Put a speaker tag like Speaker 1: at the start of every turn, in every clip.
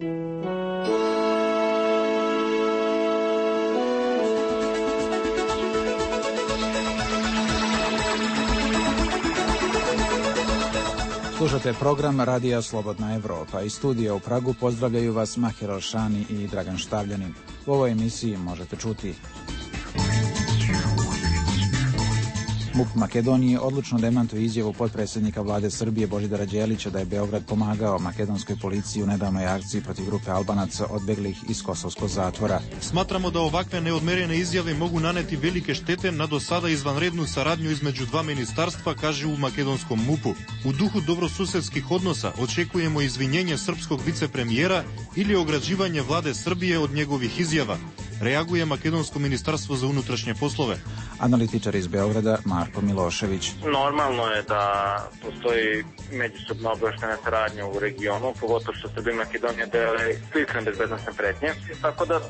Speaker 1: Slušate program Radija Slobodna Evropa. Iz studija u Pragu pozdravljaju vas Mahir Alšani i Dragan Štavljanin. U ovoj emisiji možete čuti: MUP Makedonije odlučno demantuje izjavu potpredsjednika vlade Srbije Božidara Đelića da je Beograd pomagao makedonskoj policiji u nedavnoj akciji protiv grupe Albanaca odbeglih iz kosovskog zatvora.
Speaker 2: Smatramo da ovakve neodmerene izjave mogu naneti velike štete na do sada izvanrednu saradnju između dva ministarstva, kaže u makedonskom MUP-u. U duhu dobrosusedskih odnosa očekujemo izvinjenje srpskog vicepremijera ili ograđivanje vlade Srbije od njegovih izjava, reaguje makedonsko ministarstvo za unutrašnje poslove.
Speaker 1: Analitičar iz Beograda Marko Milošević.
Speaker 3: Normalno je da postoji međusobna obaveštajna saradnja u regionu, pogotovo što Srbija i Makedonija dele slične bezbednosne pretnje, tako da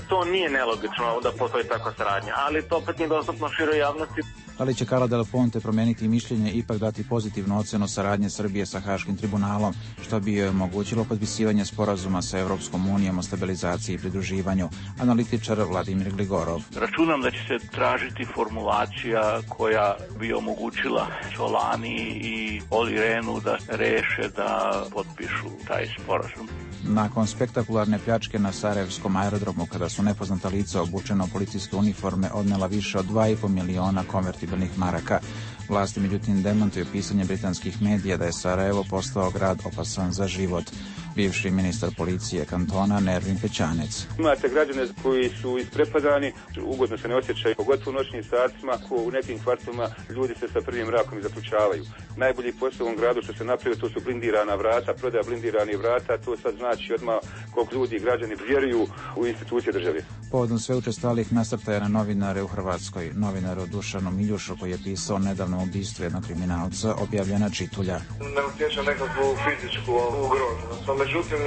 Speaker 3: to nije nelogično da postoji takva saradnja, ali to opet nije dostupno široj javnosti.
Speaker 1: Da li će Carla Del Ponte promeniti mišljenje i ipak dati pozitivnu ocenu saradnje Srbije sa Haškim tribunalom, što bi joj omogućilo potpisivanje sporazuma sa Evropskom unijom o stabilizaciji i pridruživanju? Analitičar Vladimir Gligorov.
Speaker 4: Računam da će se tražiti formulacija koja bi omogućila Solani i Oli Rehnu da reše da potpišu taj sporazum.
Speaker 1: Nakon spektakularne pljačke na Sarajevskom aerodromu, kada su nepoznata lica obučena u policijske uniforme odnela više od 2,5 miliona konvertibilnih maraka, vlasti međutim demantuju pisanje britanskih medija da je Sarajevo postao grad opasan za život. Bivši ministar policije kantona Nervin Pećanec.
Speaker 5: Imate građane koji su isprepadani, ugodno se ne osjećaju, pogotovo u noćnim satima, u nekim kvartovima ljudi se sa prvim mrakom zaključavaju. Najbolji posao u ovom gradu što se napravio, to su blindirana vrata, prodaja blindiranih vrata, to sad znači odmah koliko ljudi i građani vjeruju u institucije države.
Speaker 1: Povodom sve učestalih nasrtaja na novinare u Hrvatskoj, novinaru Dušanu Miljušu koji je pisao nedavno ubistvu jednog kriminalca, objavljena čitulja.
Speaker 6: Ne utječem nekakvu fizičku ugroženost. Međutim,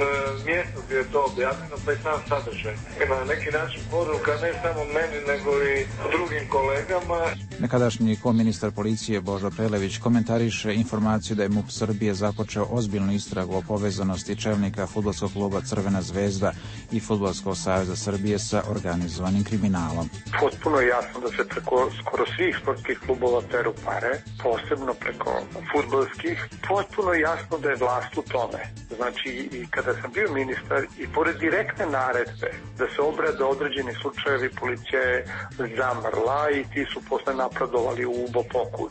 Speaker 6: mjesto gdje je to objavljeno, pa i sam sadržaj. Na neki način poruka ne samo meni, nego i drugim kolegama.
Speaker 1: Nekadašnji koministar policije Božo Prelević komentariše informaciju da je MUP Srbije započeo ozbiljnu istragu o povezanosti čelnika fudbalskog kluba Crvena zvezda i Fudbalskog saveza Srbije sa organizovanim kriminalom.
Speaker 7: Potpuno je jasno da se preko skoro svih sportskih klubova peru pare, posebno preko fudbalskih. Potpuno je jasno da je vlast u tome. Znači, i kada sam bio ministar i pored direktne naredbe da se obrade određeni slučajevi, policija je zamrla i ti su posle napredovali u ubopoku.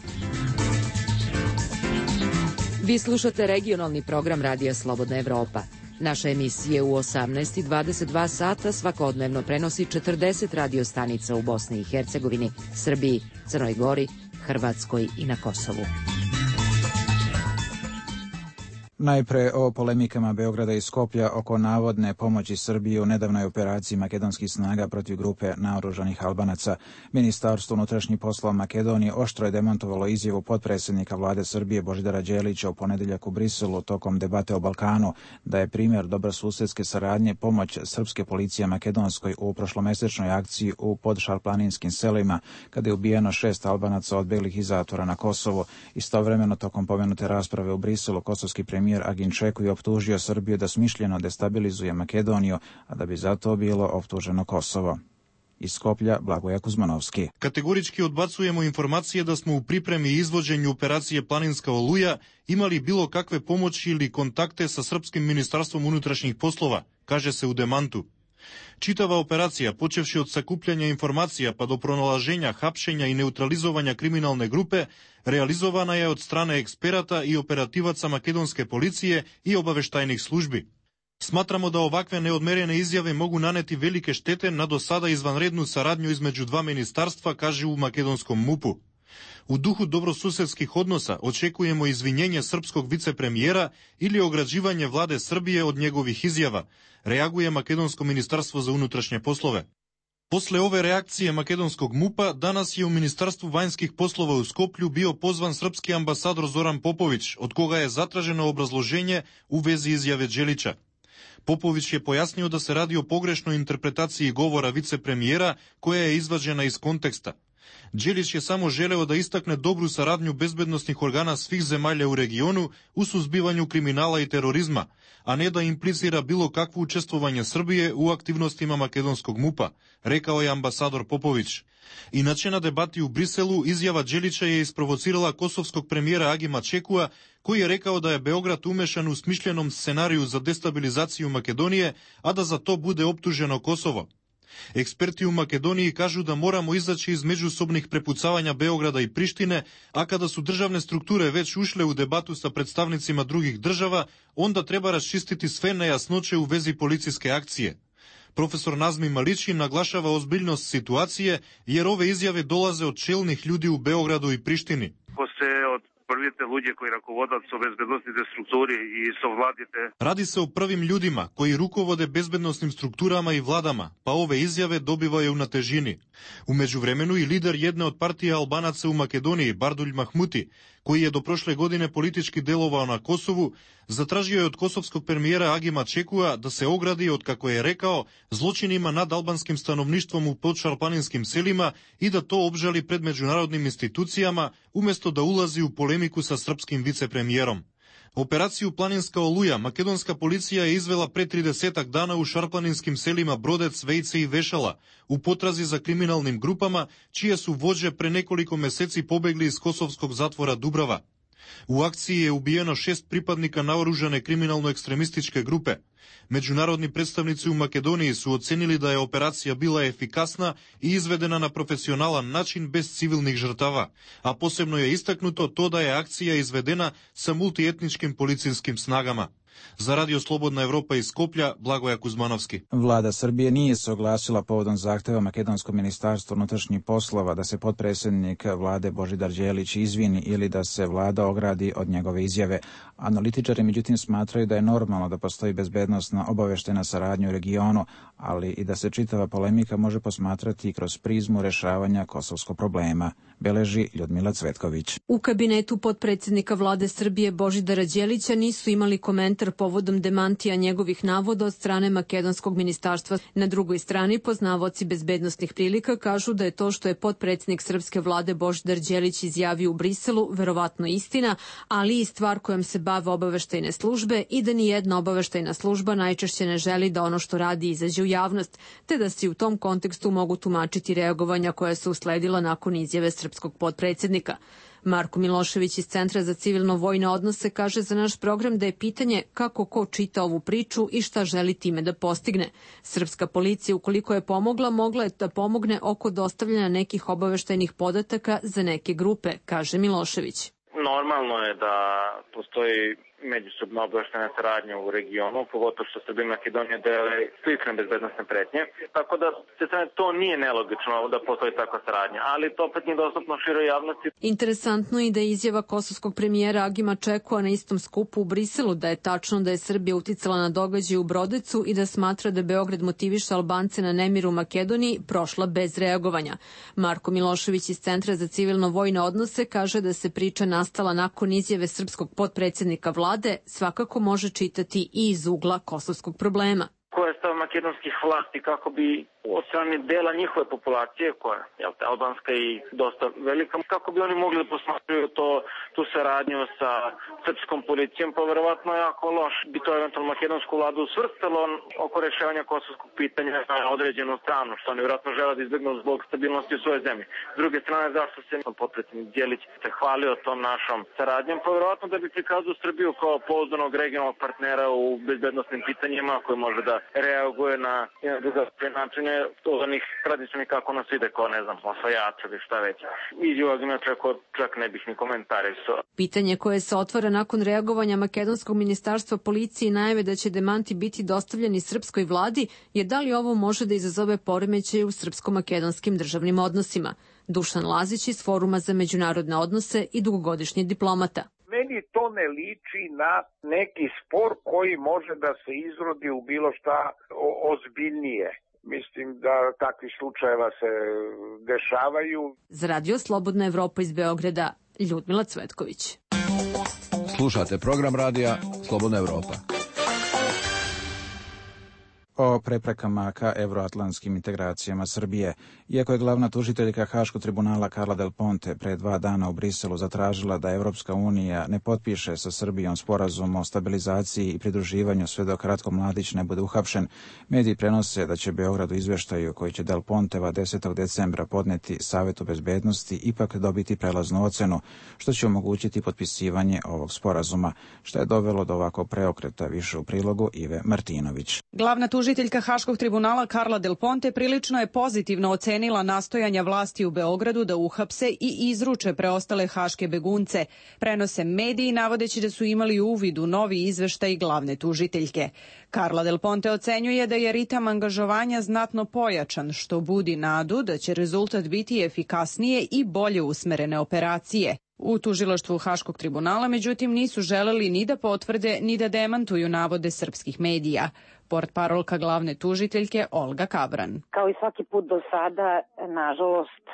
Speaker 8: Vi slušate regionalni program Radija Slobodna Evropa. Naše emisije u 18 i 22 sata svakodnevno prenosi 40 radio stanica u Bosni i Hercegovini, Srbiji, Crnoj Gori, Hrvatskoj i na Kosovu.
Speaker 1: Najpre o polemikama Beograda i Skoplja oko navodne pomoći Srbije u nedavnoj operaciji makedonskih snaga protiv grupe naoružanih Albanaca. Ministarstvo unutrašnjih poslova Makedonije oštro je demantovalo izjavu potpredsjednika vlade Srbije Božidara Đelića u ponedjeljak u Briselu tokom debate o Balkanu, da je primjer dobrosusedske saradnje pomoć srpske policije makedonskoj u prošlomesečnoj akciji u podšarplaninskim selima, kada je ubijeno 6 Albanaca odbeglih iz zatvora na Kosovo. Istovremeno, tokom pomenute rasprave u Briselu, kosovski premijer Agin Čeku je optužio Srbiju da smišljeno destabilizuje Makedoniju, a da bi zato bilo optuženo Kosovo. Iz Skoplja Blagoje Kuzmanovski.
Speaker 2: Kategorički odbacujemo informacije da smo u pripremi i izvođenju operacije Planinska oluja imali bilo kakve pomoći ili kontakte sa Srpskim ministarstvom unutrašnjih poslova, kaže se u demantu. Čitava operacija, počevši od sakupljanja informacija pa do pronalaženja, hapšenja i neutralizovanja kriminalne grupe, realizovana je od strane eksperata i operativaca makedonske policije i obaveštajnih službi. Smatramo da ovakve neodmerene izjave mogu naneti velike štete na do sada izvanrednu saradnju između dva ministarstva, kaže u makedonskom MUP-u. U duhu dobrosusedskih odnosa očekujemo izvinjenje srpskog vicepremijera ili ograđivanje vlade Srbije od njegovih izjava, reaguje makedonsko ministarstvo za unutrašnje poslove. Posle ove reakcije makedonskog MUP-a, danas je u Ministarstvu vanjskih poslova u Skoplju bio pozvan srpski ambasador Zoran Popović, od koga je zatraženo obrazloženje u vezi izjave Đelića. Popović je pojasnio da se radi o pogrešnoj interpretaciji govora vicepremijera koja je izvađena iz konteksta. Đelić je samo želeo da istakne dobru saradnju bezbednosnih organa svih zemalja u regionu u suzbivanju kriminala i terorizma, a ne da implicira bilo kakvo učestvovanje Srbije u aktivnostima makedonskog MUP-a, rekao je ambasador Popović. Inače, na debati u Briselu izjava Đelića je isprovocirala kosovskog premijera Agima Čekua, koji je rekao da je Beograd umešan u smišljenom scenariju za destabilizaciju Makedonije, a da za to bude optuženo Kosovo. Eksperti u Makedoniji kažu da moramo izaći iz međusobnih prepucavanja Beograda i Prištine, a kada su državne strukture već ušle u debatu sa predstavnicima drugih država, onda treba raščistiti sve nejasnoće u vezi policijske akcije. Profesor Nazmi Malići naglašava ozbiljnost situacije, jer ove izjave dolaze od čelnih ljudi u Beogradu i Prištini.
Speaker 9: Prvite ľudia koji rukovodat so bezbednostните strukturi i so vladite.
Speaker 2: Radi se o prvim ljudima koji rukovode bezbednosnim strukturama i vladama, pa ove izjave dobivaju na težini. U međuvremenu i lider jedne od partije Albanaca u Makedoniji, Bardulj Mahmuti, koji je do prošle godine politički delovao na Kosovu, zatražio je od kosovskog premijera Agima Čekua da se ogradi od, kako je rekao, zločinima nad albanskim stanovništvom u podšarplaninskim selima i da to obžali pred međunarodnim institucijama, umjesto da ulazi u polemiku sa srpskim vicepremijerom. Operaciju Planinska oluja makedonska policija je izvela pre 30 dana u šarplaninskim selima Brodec, Vejce i Vešala, u potrazi za kriminalnim grupama, čije su vođe pre nekoliko meseci pobegli iz kosovskog zatvora Dubrava. U akciji je ubijeno 6 pripadnika naoružane kriminalno-ekstremističke grupe. Međunarodni predstavnici u Makedoniji su ocenili da je operacija bila efikasna i izvedena na profesionalan način bez civilnih žrtava, a posebno je istaknuto to da je akcija izvedena sa multietničkim policijskim snagama. Za Radio Slobodna Evropa iz Skoplja, Blagoja Kuzmanovski.
Speaker 1: Vlada Srbije nije se oglasila povodom zahteva Makedonskog ministarstva unutrašnjih poslova da se potpredsjednik vlade Božidar Đelić izvini ili da se vlada ogradi od njegove izjave. Analitičari međutim smatraju da je normalno da postoji bezbednosna obaveštajna saradnja u regionu, ali i da se čitava polemika može posmatrati kroz prizmu rešavanja kosovskog problema, beleži Ljudmila Cvetković.
Speaker 10: U kabinetu potpredsjednika vlade Srbije Božidara Đelića nisu imali komentar povodom demantija njegovih navoda od strane makedonskog ministarstva. Na drugoj strani, poznavaoci bezbednosnih prilika kažu da je to što je potpredsjednik srpske vlade Božidar Đelić izjavio u Briselu verovatno istina, ali i stvar kojom se bave obaveštajne službe i da ni jedna obaveštajna služba najčešće ne želi da ono što radi izađe u javnost, te da se u tom kontekstu mogu tumačiti reagovanja koja su usledila nakon izjave srpskog potpredsjednika. Marko Milošević iz Centra za civilno-vojne odnose kaže za naš program da je pitanje kako ko čita ovu priču i šta želi time da postigne. Srpska policija, ukoliko je pomogla, mogla je da pomogne oko dostavljanja nekih obaveštajnih podataka za neke grupe, kaže Milošević.
Speaker 3: Normalno je da postoji međusobna obaveštajna saradnja u regionu, pogotovo što Srbija i Makedonija dele slične bezbednosne pretnje. Tako da to nije nelogično da postoji takva saradnja, ali to opet nije dostupno široj javnosti.
Speaker 10: Interesantno je da je izjava kosovskog premijera Agima Čekua na istom skupu u Briselu da je tačno da je Srbija uticala na događaje u Brodecu i da smatra da Beograd motiviše Albance na nemir u Makedoniji prošla bez reagovanja. Marko Milošević iz Centra za civilno-vojne odnose kaže da se priča nastala nakon izjave srpskog potpredsjednika vlade, svakako može čitati i iz ugla kosovskog problema.
Speaker 3: Koja je stav makedonskih vlasti kako bi od strane dela njihove populacije, koja je albanska i dosta velika, kako bi oni mogli da posmatraju tu saradnju sa srpskom policijom, pa verovatno jako loš bi to eventualno makedonsku vladu usvrstalo oko rešavanja kosovskog pitanja na određenu stranu, što oni vjerojatno žele da izbjegnu zbog stabilnosti u svojoj zemlji. S druge strane, zašto se potpredsjednik Đelić se hvalio tom našom saradnjom, pa verovatno da bi prikazao Srbiju kao pouzdanog regionalnog partnera u bezbednosnim pitanjima koji može da reaguje na drugačije načine od onih tradicionalnih kako nas ide, kao ne znam, osvajača ili šta već. Izjava čak ne bih ni komentarisao.
Speaker 10: Pitanje koje se otvara nakon reagovanja makedonskog ministarstva policije i najave da će demanti biti dostavljeni srpskoj vladi je da li ovo može da izazove poremećaje u srpsko-makedonskim državnim odnosima. Dušan Lazić iz Foruma za međunarodne odnose i dugogodišnji diplomata.
Speaker 11: Meni to ne liči na neki spor koji može da se izrodi u bilo šta ozbiljnije. Mislim da takvi slučajeva se dešavaju.
Speaker 10: Za Radio Slobodna Evropa iz Beograda, Ljudmila Cvetković.
Speaker 12: Slušate program radija Slobodna Evropa.
Speaker 1: O o preprekama ka evroatlantskim integracijama Srbije. Iako je glavna tužiteljka Haškog tribunala Carla Del Ponte pre 2 dana u Briselu zatražila da Evropska unija ne potpiše sa Srbijom sporazum o stabilizaciji i pridruživanju sve dok Ratko Mladić ne bude uhapšen, mediji prenose da će Beograd u izveštaju koji će Del Ponteva 10. decembra podneti Savetu bezbednosti ipak dobiti prelaznu ocenu, što će omogućiti potpisivanje ovog sporazuma, što je dovelo do ovako preokreta, više u prilogu Ive Martinović.
Speaker 12: Glavna tužiteljka Haškog tribunala Carla Del Ponte prilično je pozitivno ocenila nastojanja vlasti u Beogradu da uhapse i izruče preostale haške begunce. Prenose mediji navodeći da su imali uvid u novi izveštaj glavne tužiteljke. Carla Del Ponte ocenjuje da je ritam angažovanja znatno pojačan, što budi nadu da će rezultat biti efikasnije i bolje usmerene operacije. U tužilaštvu Haškog tribunala, međutim, nisu želeli ni da potvrde ni da demantuju navode srpskih medija. Portparolka glavne tužiteljke Olga Kabran.
Speaker 13: Kao i svaki put do sada, nažalost,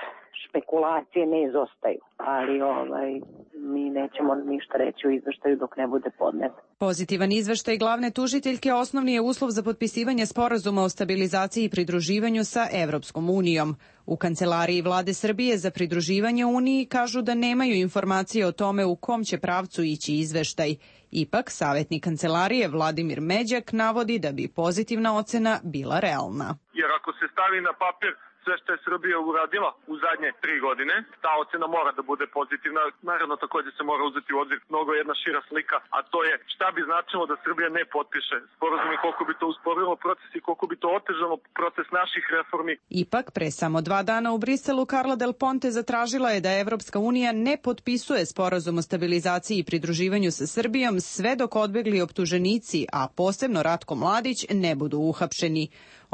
Speaker 13: špekulacije ne izostaju, ali mi nećemo ništa reći u izveštaju dok ne bude podnet.
Speaker 12: Pozitivan izveštaj glavne tužiteljke osnovni je uslov za potpisivanje sporazuma o stabilizaciji i pridruživanju sa Evropskom unijom. U Kancelariji Vlade Srbije za pridruživanje Uniji kažu da nemaju informacije o tome u kom će pravcu ići izveštaj. Ipak, savjetnik Kancelarije Vladimir Međak navodi da bi pozitivna ocena bila realna.
Speaker 14: Jer ako se stavi na papir sve što je Srbija uradila u zadnje 3 godine, ta ocena mora da bude pozitivna. Naravno, također se mora uzeti u obzir mnogo jedna šira slika, a to je šta bi značilo da Srbija ne potpiše sporazum i koliko bi to usporilo proces i koliko bi to otežalo proces naših reformi.
Speaker 12: Ipak, pre samo 2 dana u Briselu, Carla Del Ponte zatražila je da Evropska unija ne potpisuje sporazum o stabilizaciji i pridruživanju sa Srbijom sve dok odbegli optuženici, a posebno Ratko Mladić, ne budu uhapšeni.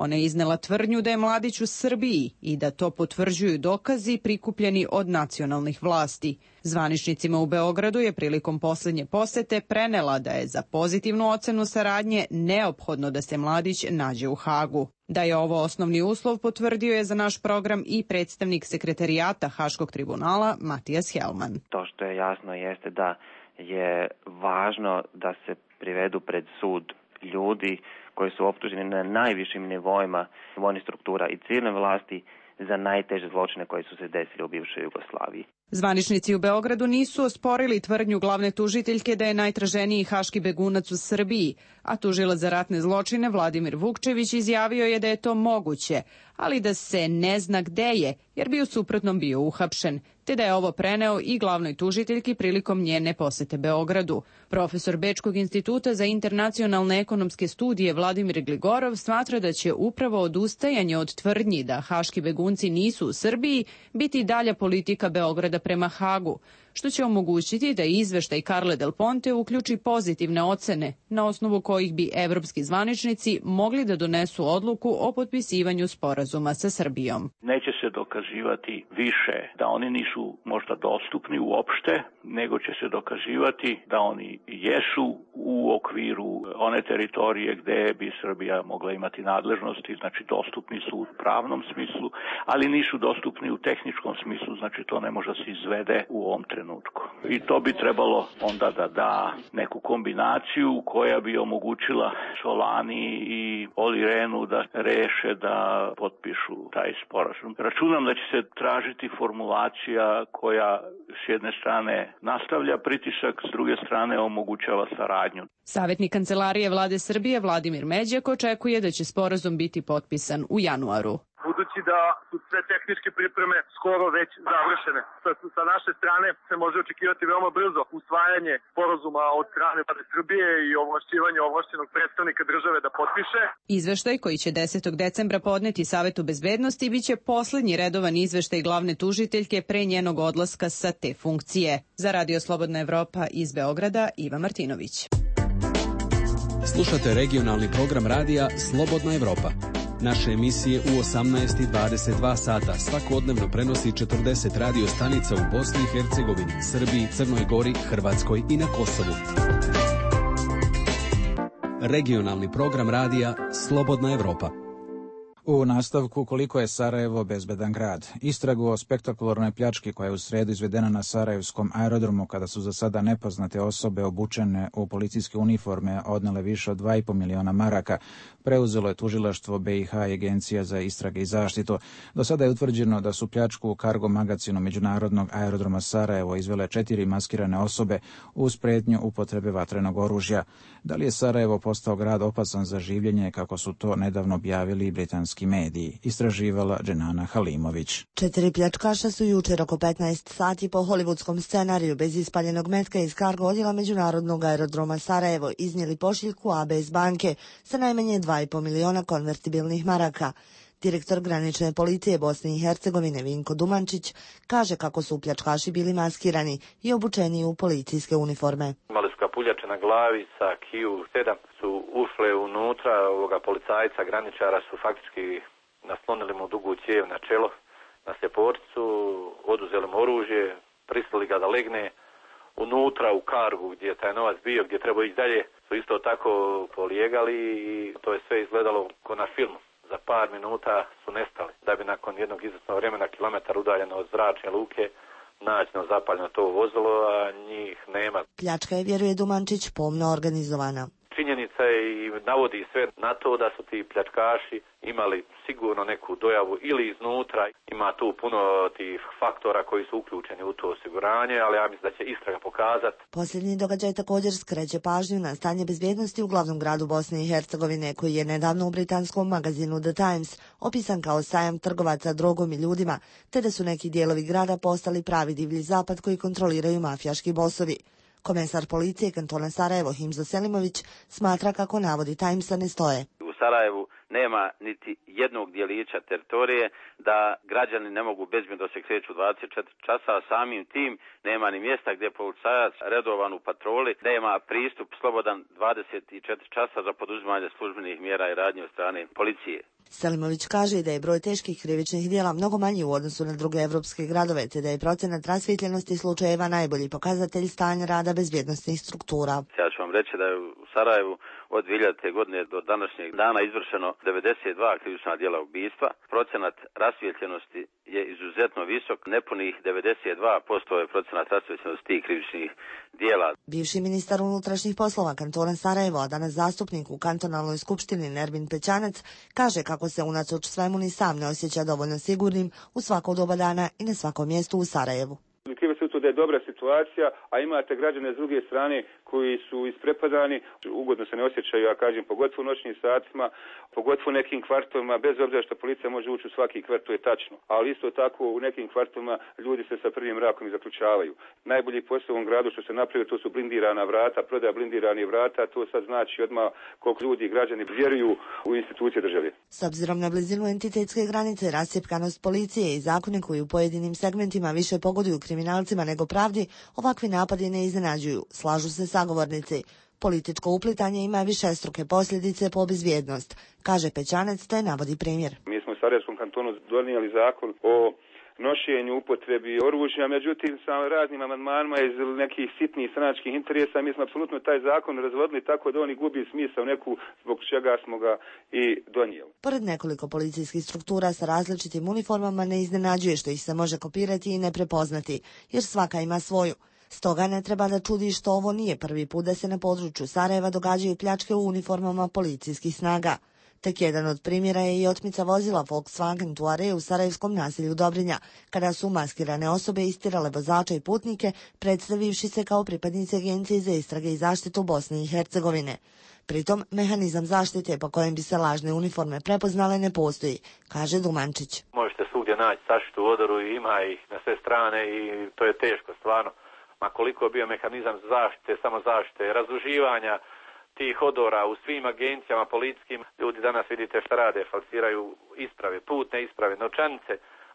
Speaker 12: Ona je iznela tvrdnju da je Mladić u Srbiji i da to potvrđuju dokazi prikupljeni od nacionalnih vlasti. Zvaničnicima u Beogradu je prilikom poslednje posete prenela da je za pozitivnu ocenu saradnje neophodno da se Mladić nađe u Hagu. Da je ovo osnovni uslov potvrdio je za naš program i predstavnik sekretarijata Haškog tribunala Matijas Helman.
Speaker 15: To što je jasno jeste da je važno da se privedu pred sud ljudi koji su optuženi na najvišim nivoima vojnih struktura i civilne vlasti za najteže zločine koji su se desili u bivšoj Jugoslaviji.
Speaker 12: Zvaničnici u Beogradu nisu osporili tvrdnju glavne tužiteljke da je najtraženiji haški begunac u Srbiji, a tužilac za ratne zločine Vladimir Vukčević izjavio je da je to moguće, ali da se ne zna gde je, jer bi u suprotnom bio uhapšen, te da je ovo preneo i glavnoj tužiteljki prilikom njene posete Beogradu. Profesor Bečkog instituta za internacionalne ekonomske studije Vladimir Gligorov smatra da će upravo odustajanje od tvrdnji da haški begunci nisu u Srbiji biti dalja politika Beograda prema Hagu, što će omogućiti da izveštaj Carle Del Ponte uključi pozitivne ocene, na osnovu kojih bi evropski zvaničnici mogli da donesu odluku o potpisivanju sporazuma sa Srbijom.
Speaker 4: Neće se dokazivati više da oni nisu možda dostupni uopšte, nego će se dokazivati da oni jesu u okviru one teritorije gde bi Srbija mogla imati nadležnosti, znači dostupni su u pravnom smislu, ali nisu dostupni u tehničkom smislu, znači to ne može se izvede u ovom trenutku. I to bi trebalo onda da da neku kombinaciju koja bi omogućila Solani i Oli Rehnu da reše da potpišu taj sporazum. Računam da će se tražiti formulacija koja s jedne strane nastavlja pritisak, s druge strane omogućava saradnju.
Speaker 12: Savjetnik Kancelarije Vlade Srbije Vladimir Međak očekuje da će sporazum biti potpisan u januaru.
Speaker 14: Budući da su sve tehničke pripreme skoro već završene. Sa naše strane se može očekivati veoma brzo usvajanje sporazuma od strane Vlade Srbije i ovlašćivanje ovlašćenog predstavnika države da potpiše.
Speaker 12: Izveštaj koji će 10. decembra podneti Savetu bezbednosti biće poslednji redovan izveštaj glavne tužiteljke pre njenog odlaska sa te funkcije. Za Radio Slobodna Evropa iz Beograda, Iva Martinović.
Speaker 16: Slušate regionalni program radija Slobodna Evropa. Naše emisije u 18 i 22 sata svakodnevno prenosi 40 radio stanica u Bosni i Hercegovini, Srbiji, Crnoj Gori, Hrvatskoj i na Kosovu. Regionalni program radija Slobodna Evropa.
Speaker 1: U nastavku, koliko je Sarajevo bezbedan grad. Istragu o spektakularnoj pljački koja je u sredu izvedena na sarajevskom aerodromu kada su za sada nepoznate osobe obučene u policijske uniforme odnele više od 2,5 miliona maraka, preuzelo je tužilaštvo BiH i Agencija za istrage i zaštitu. Do sada je utvrđeno da su pljačku u kargo magazinu Međunarodnog aerodroma Sarajevo izvele 4 maskirane osobe uz prijetnju upotrebe vatrenog oružja. Da li je Sarajevo postao grad opasan za življenje, kako su to nedavno objavili britanski mediji, istraživala Dženana Halimović.
Speaker 17: 4 pljačkaša su jučer oko 15 sati po hollywoodskom scenariju bez ispaljenog metka iz kargo odjela Međunarodnog aerodroma Sarajevo iznijeli pošiljku ABS banke sa najmanje 2,5 miliona konvertibilnih maraka. Direktor granične policije Bosne i Hercegovine Vinko Dumančić kaže kako su pljačkaši bili maskirani i obučeni u policijske uniforme.
Speaker 18: Imali su kapuljače na glavi sa Q7, su ušle unutra, policajca, graničara su faktički naslonili mu dugu cijev na čelo, na sljeporcu, oduzeli mu oružje, prisilili ga da legne unutra u kargu gdje je taj novac bio, gdje treba ići dalje, su isto tako polijegali i to je sve izgledalo ko na filmu. Za par minuta su nestali, da bi nakon jednog izvjesnog vremena kilometar udaljeno od zračne luke nađeno zapaljeno to vozilo, a njih nema.
Speaker 17: Pljačka je, vjeruje Dumančić, pomno organizovana.
Speaker 18: Činjenica je i navodi sve na to da su ti pljačkaši imali sigurno neku dojavu ili iznutra. Ima tu puno tih faktora koji su uključeni u to osiguranje, ali ja mislim da će istraga pokazati.
Speaker 17: Posljednji događaj također skreće pažnju na stanje bezbjednosti u glavnom gradu Bosne i Hercegovine, koji je nedavno u britanskom magazinu The Times opisan kao sajam trgovaca drogom i ljudima, te da su neki dijelovi grada postali pravi divlji zapad koji kontroliraju mafijaški bosovi. Komesar policije kantona Sarajevo Himzo Selimović smatra kako navodi Timesa ne stoje.
Speaker 19: U Sarajevu nema niti jednog dijelića teritorije da građani ne mogu bezbjedno se kreću 24 časa, samim tim nema ni mjesta gdje policajac redovan u patroli, nema pristup slobodan 24 časa za poduzimanje službenih mjera i radnje od strane policije.
Speaker 17: Selimović kaže da je broj teških krivičnih djela mnogo manji u odnosu na druge evropske gradove, te da je procenat rasvijetljenosti slučajeva najbolji pokazatelj stanja rada bezbjednosnih struktura.
Speaker 19: Ja ću vam reći da je u Sarajevu od 2000. godine do današnjeg dana izvršeno 92 krivična djela ubistva. Procenat rasvijetljenosti je izuzetno visok, nepunih 92% je procenat rasvijetljenosti tih krivičnih djela.
Speaker 17: Bivši ministar unutrašnjih poslova kantona Sarajevo, a danas zastupnik u kantonalnoj skupštini Nerbin Pećanac, kaže kako se unatoč svemu ni sam ne osjeća dovoljno sigurnim u svako doba dana i na svakom mjestu u Sarajevu.
Speaker 5: Krivo se to da je dobra situacija, a imate građane s druge strane koji su isprepadani, ugodno se ne osjećaju, ja kažem, pogotovo u noćnim satima, pogotovo u nekim kvartovima, bez obzira što policija može ući u svaki kvart, to je tačno. Ali isto tako u nekim kvartovima ljudi se sa prvim mrakom i zaključavaju. Najbolji posao u ovom gradu što se napravio, to su blindirana vrata, prodaja blindiranih vrata, to sad znači odmah koliko ljudi i građani vjeruju u institucije države.
Speaker 17: S obzirom na blizinu entitetske granice, rascjepkanost policije i zakone koji u pojedinim segmentima više pogoduju kriminalcima nego pravdi, ovakvi napadi ne iznenađuju, slažu se sagovornici. Političko uplitanje ima višestruke posljedice po bezbjednost, kaže Pećanac, te navodi primjer.
Speaker 5: Mi smo u Sarajevskom kantonu donijeli zakon o nošenju, upotrebi oružja, međutim sa raznim amandmanima iz nekih sitnih stranačkih interesa mi smo apsolutno taj zakon razvodili tako da on gubi smisao neku zbog čega smo ga i donijeli.
Speaker 17: Pored nekoliko policijskih struktura sa različitim uniformama ne iznenađuje što ih se može kopirati i ne prepoznati, jer svaka ima svoju. Stoga ne treba da čudi što ovo nije prvi put da se na području Sarajeva događaju pljačke u uniformama policijskih snaga. Tek jedan od primjera je i otmica vozila Volkswagen Touareg u sarajevskom naselju Dobrinja, kada su maskirane osobe istirale vozača i putnike, predstavivši se kao pripadnici Agencije za istrage i zaštitu Bosne i Hercegovine. Pritom, mehanizam zaštite po kojem bi se lažne uniforme prepoznale ne postoji, kaže Dumančić.
Speaker 18: Možete svugdje naći zaštitu u odoru i ima ih na sve strane i to je teško stvarno. Ma koliko je bio mehanizam zaštite, samozaštite, razduživanja tih odora u svim agencijama policijskim, ljudi danas vidite šta rade, falsiraju isprave, putne isprave, novčanice,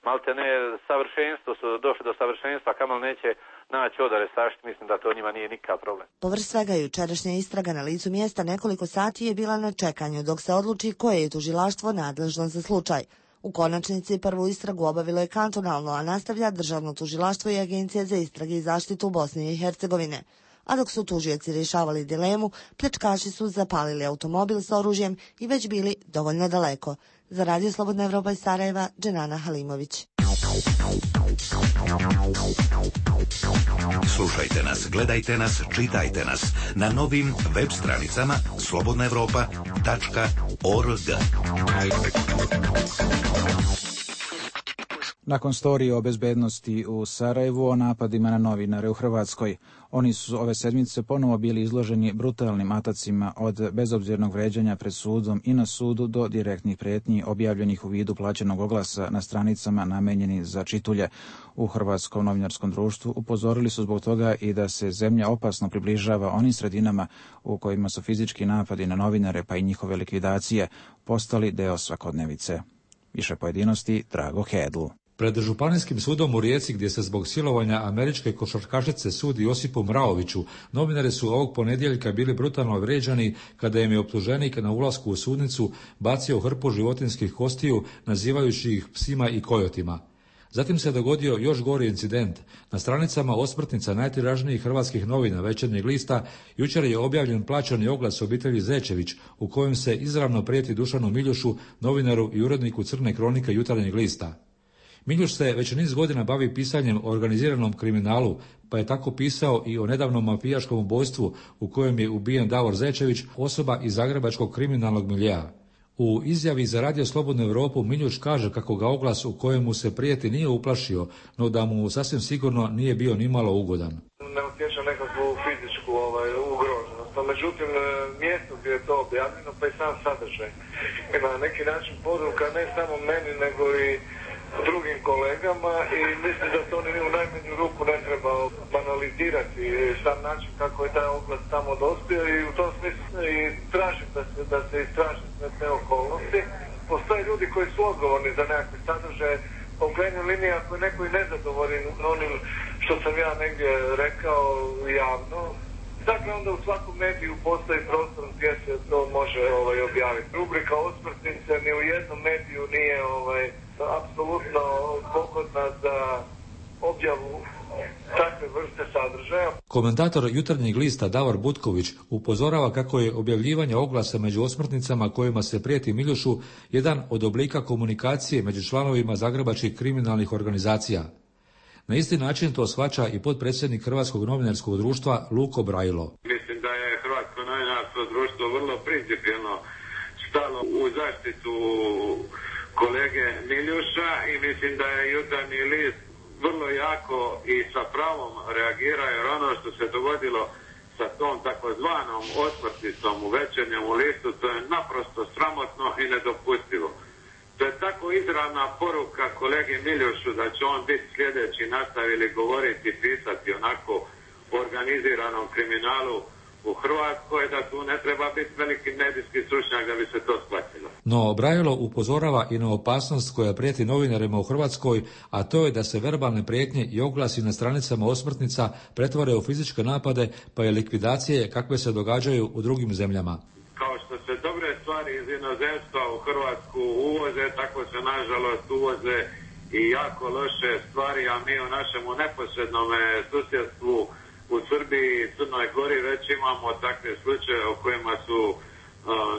Speaker 18: malte ne savršenstvo, su došli do savršenstva, kamal neće naći odore saštiti, mislim da to njima nije nikakav problem.
Speaker 17: Povrh svega jučerašnja istraga na licu mjesta nekoliko sati je bila na čekanju dok se odluči koje je tužilaštvo nadležno za slučaj. U konačnici prvu istragu obavilo je kantonalno, a nastavlja Državno tužilaštvo i Agencija za istrage i zaštitu Bosne i Hercegovine. A dok su tužioci rješavali dilemu, pljačkaši su zapalili automobil s oružjem i već bili dovoljno daleko. Za Radio Slobodna Evropa iz Sarajeva, Dženana Halimović.
Speaker 20: Slušajte nas, gledajte nas, čitajte nas na novim web stranicama slobodnaevropa.org.
Speaker 1: Nakon storije o bezbednosti u Sarajevu o napadima na novinare u Hrvatskoj, oni su ove sedmice ponovo bili izloženi brutalnim atacima od bezobzirnog vređanja pred sudom i na sudu do direktnih prijetnji objavljenih u vidu plaćenog oglasa na stranicama namenjeni za čitulje. U Hrvatskom novinarskom društvu upozorili su zbog toga i da se zemlja opasno približava onim sredinama u kojima su fizički napadi na novinare pa i njihove likvidacije postali deo svakodnevice. Više pojedinosti Drago Hedl.
Speaker 21: Pred Županijskim sudom u Rijeci, gdje se zbog silovanja američke košarkašice sudi Josipu Mraoviću, novinari su ovog ponedjeljka bili brutalno vrijeđani kada im je optuženik na ulasku u sudnicu bacio hrpu životinjskih kostiju, nazivajući ih psima i kojotima. Zatim se dogodio još gori incident. Na stranicama osmrtnica najtiražnijih hrvatskih novina Večernjeg lista jučer je objavljen plaćani oglas obitelji Zečević u kojem se izravno prijeti Dušanu Miljušu, novinaru i uredniku Crne kronike Jutarnjeg lista. Miljuš se već niz godina bavi pisanjem o organiziranom kriminalu, pa je tako pisao i o nedavnom mafijaškom ubojstvu u kojem je ubijen Davor Zečević, osoba iz zagrebačkog kriminalnog miljea. U izjavi za Radio Slobodnu Evropu Miljuš kaže kako ga oglas u kojemu se prijeti nije uplašio, no da mu sasvim sigurno nije bio nimalo ugodan.
Speaker 6: Ne osjeća nekakvu fizičku ugroženost, no međutim mjesto gdje je to objavljeno pa i sam sadržaj. Na neki način poruka ne samo meni nego i drugim kolegama i mislim da to ni u najmanju ruku ne treba banalizirati sam način kako je taj oglas tamo dospio i u tom smislu i tražim da se istraže sve te okolnosti. Postoje ljudi koji su odgovorni za nekakve sadržaje, u krajnjoj liniji ako je neko i nezadovoljen onim što sam ja negdje rekao javno, dakle onda u svakom mediju postoji prostor gdje se to može objaviti. Rubrika osmrtnice ni u jednom mediju nije apsolutno pogodna za objavu takve vrste sadržaja.
Speaker 21: Komentator Jutarnjeg lista Davor Butković upozorava kako je objavljivanje oglasa među osmrtnicama kojima se prijeti Miljušu jedan od oblika komunikacije među članovima zagrebačkih kriminalnih organizacija. Na isti način to shvaća i potpredsjednik Hrvatskog novinarskog društva Luko Brajlo.
Speaker 22: Mislim da je Hrvatsko novinarsko društvo vrlo principijelno stalo u zaštitu kolege Miljuša i mislim da je Jutarnji list vrlo jako i sa pravom reagirao, jer ono što se dogodilo sa tom takozvanom osmrtnicom u Večernjem listu, to je naprosto sramotno i nedopustivo. To je tako izravna poruka kolegi Miljušu da će on biti sljedeći, nastavili govoriti i pisati onako o organiziranom kriminalu u Hrvatskoj, da tu ne treba biti veliki medijski stručnjak da bi se to shvatilo.
Speaker 21: No, Brajlo upozorava i na opasnost koja prijeti novinarima u Hrvatskoj, a to je da se verbalne prijetnje i oglasi na stranicama osmrtnica pretvore u fizičke napade, pa i likvidacije kakve se događaju u drugim zemljama.
Speaker 22: Kao što se dobre stvari iz inozemstva u Hrvatsku uvoze, tako se nažalost uvoze i jako loše stvari, a mi u našemu neposrednom susjedstvu u Srbiji i Crnoj Gori već imamo takve slučaje o kojima su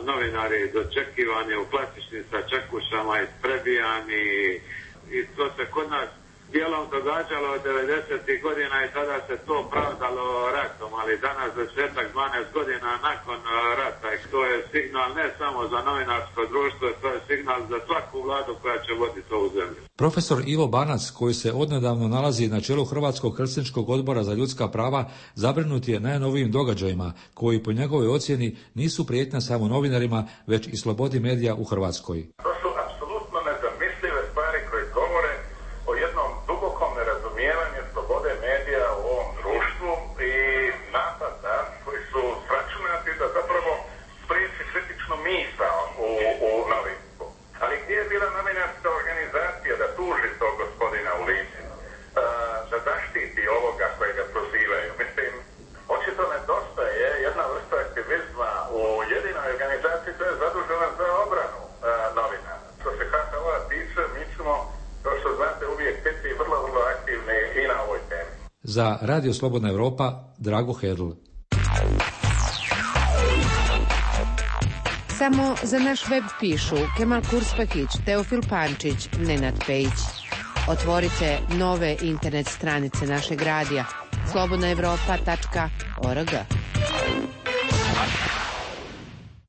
Speaker 22: novinari dočekivani u klasičnim sačekušama, isprebijani i to se kod nas dijelom događalo od 90. godina i tada se to pravdalo ratom, ali danas 10-12 godina nakon rata i to je signal ne samo za novinarsko društvo, to je signal za svaku vladu koja će voditi ovu zemlju.
Speaker 21: Profesor Ivo Banac, koji se odnedavno nalazi na čelu Hrvatskog Helsinškog odbora za ljudska prava, zabrinut je najnovijim događajima koji po njegovoj ocjeni nisu prijetnja samo novinarima, već i slobodi medija u Hrvatskoj.
Speaker 23: To su apsolutno nezamislive stvari koje govore o jednom dubokom nerazumijevanju slobode medija u ovom društvu i napada koji su sračunati da zapravo spriječi kritičnu misao u novinstvu. Ali gdje je bila novinarska organizacija da tuži tog gospodina u lice, da zaštiti ovoga koje ga prozivaju? Mislim, očito nedostaje jedna vrsta aktivizma u jedinoj organizaciji koja je zadužena za obranu novinara.
Speaker 21: Za Radio Slobodna Evropa, Drago Hedl.
Speaker 7: Samo za naš web pišu Kemal Kurspahić, Teofil Pančić, Nenad Pejić. Otvorite nove internet stranice našeg radija slobodnaevropa.org.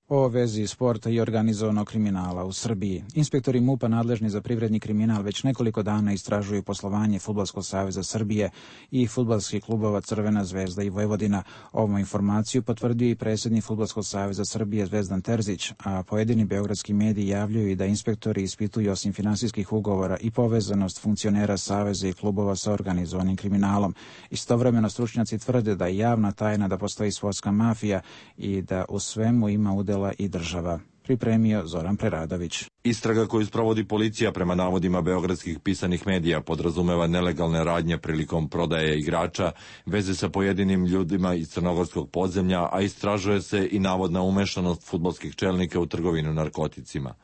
Speaker 1: O vezi sporta i organizovanog kriminala u Srbiji. Inspektori MUP-a nadležni za privredni kriminal već nekoliko dana istražuju poslovanje Fudbalskog saveza Srbije i fudbalskih klubova Crvena zvezda i Vojvodina. Ovu informaciju potvrdio i predsjednik Fudbalskog saveza Srbije Zvezdan Terzić, a pojedini beogradski mediji javljaju i da inspektori ispituju osim finansijskih ugovora i povezanost funkcionera saveza i klubova sa organizovanim kriminalom. Istovremeno stručnjaci tvrde da je javna tajna da postoji sportska mafija i da u svemu ima udela i država. Pripremio Zoran Preradović.
Speaker 8: Istraga koju sprovodi policija prema navodima beogradskih pisanih medija podrazumeva nelegalne radnje prilikom prodaje igrača, veze sa pojedinim ljudima iz crnogorskog podzemlja, a istražuje se i navodna umešanost fudbalskih čelnika u trgovinu narkoticima.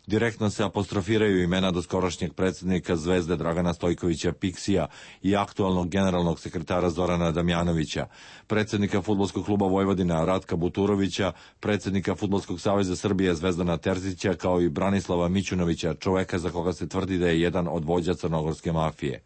Speaker 8: Direktno se apostrofiraju imena doskorašnjeg predsjednika Zvezde Dragana Stojkovića Piksija i aktualnog generalnog sekretara Zorana Damjanovića, predsjednika Fudbalskog kluba Vojvodina Ratka Buturovića, predsjednika Fudbalskog saveza Srbije Zvezdana Terzića, kao i Branislava Mićunovića, čoveka za koga se tvrdi da je jedan od vođa crnogorske mafije.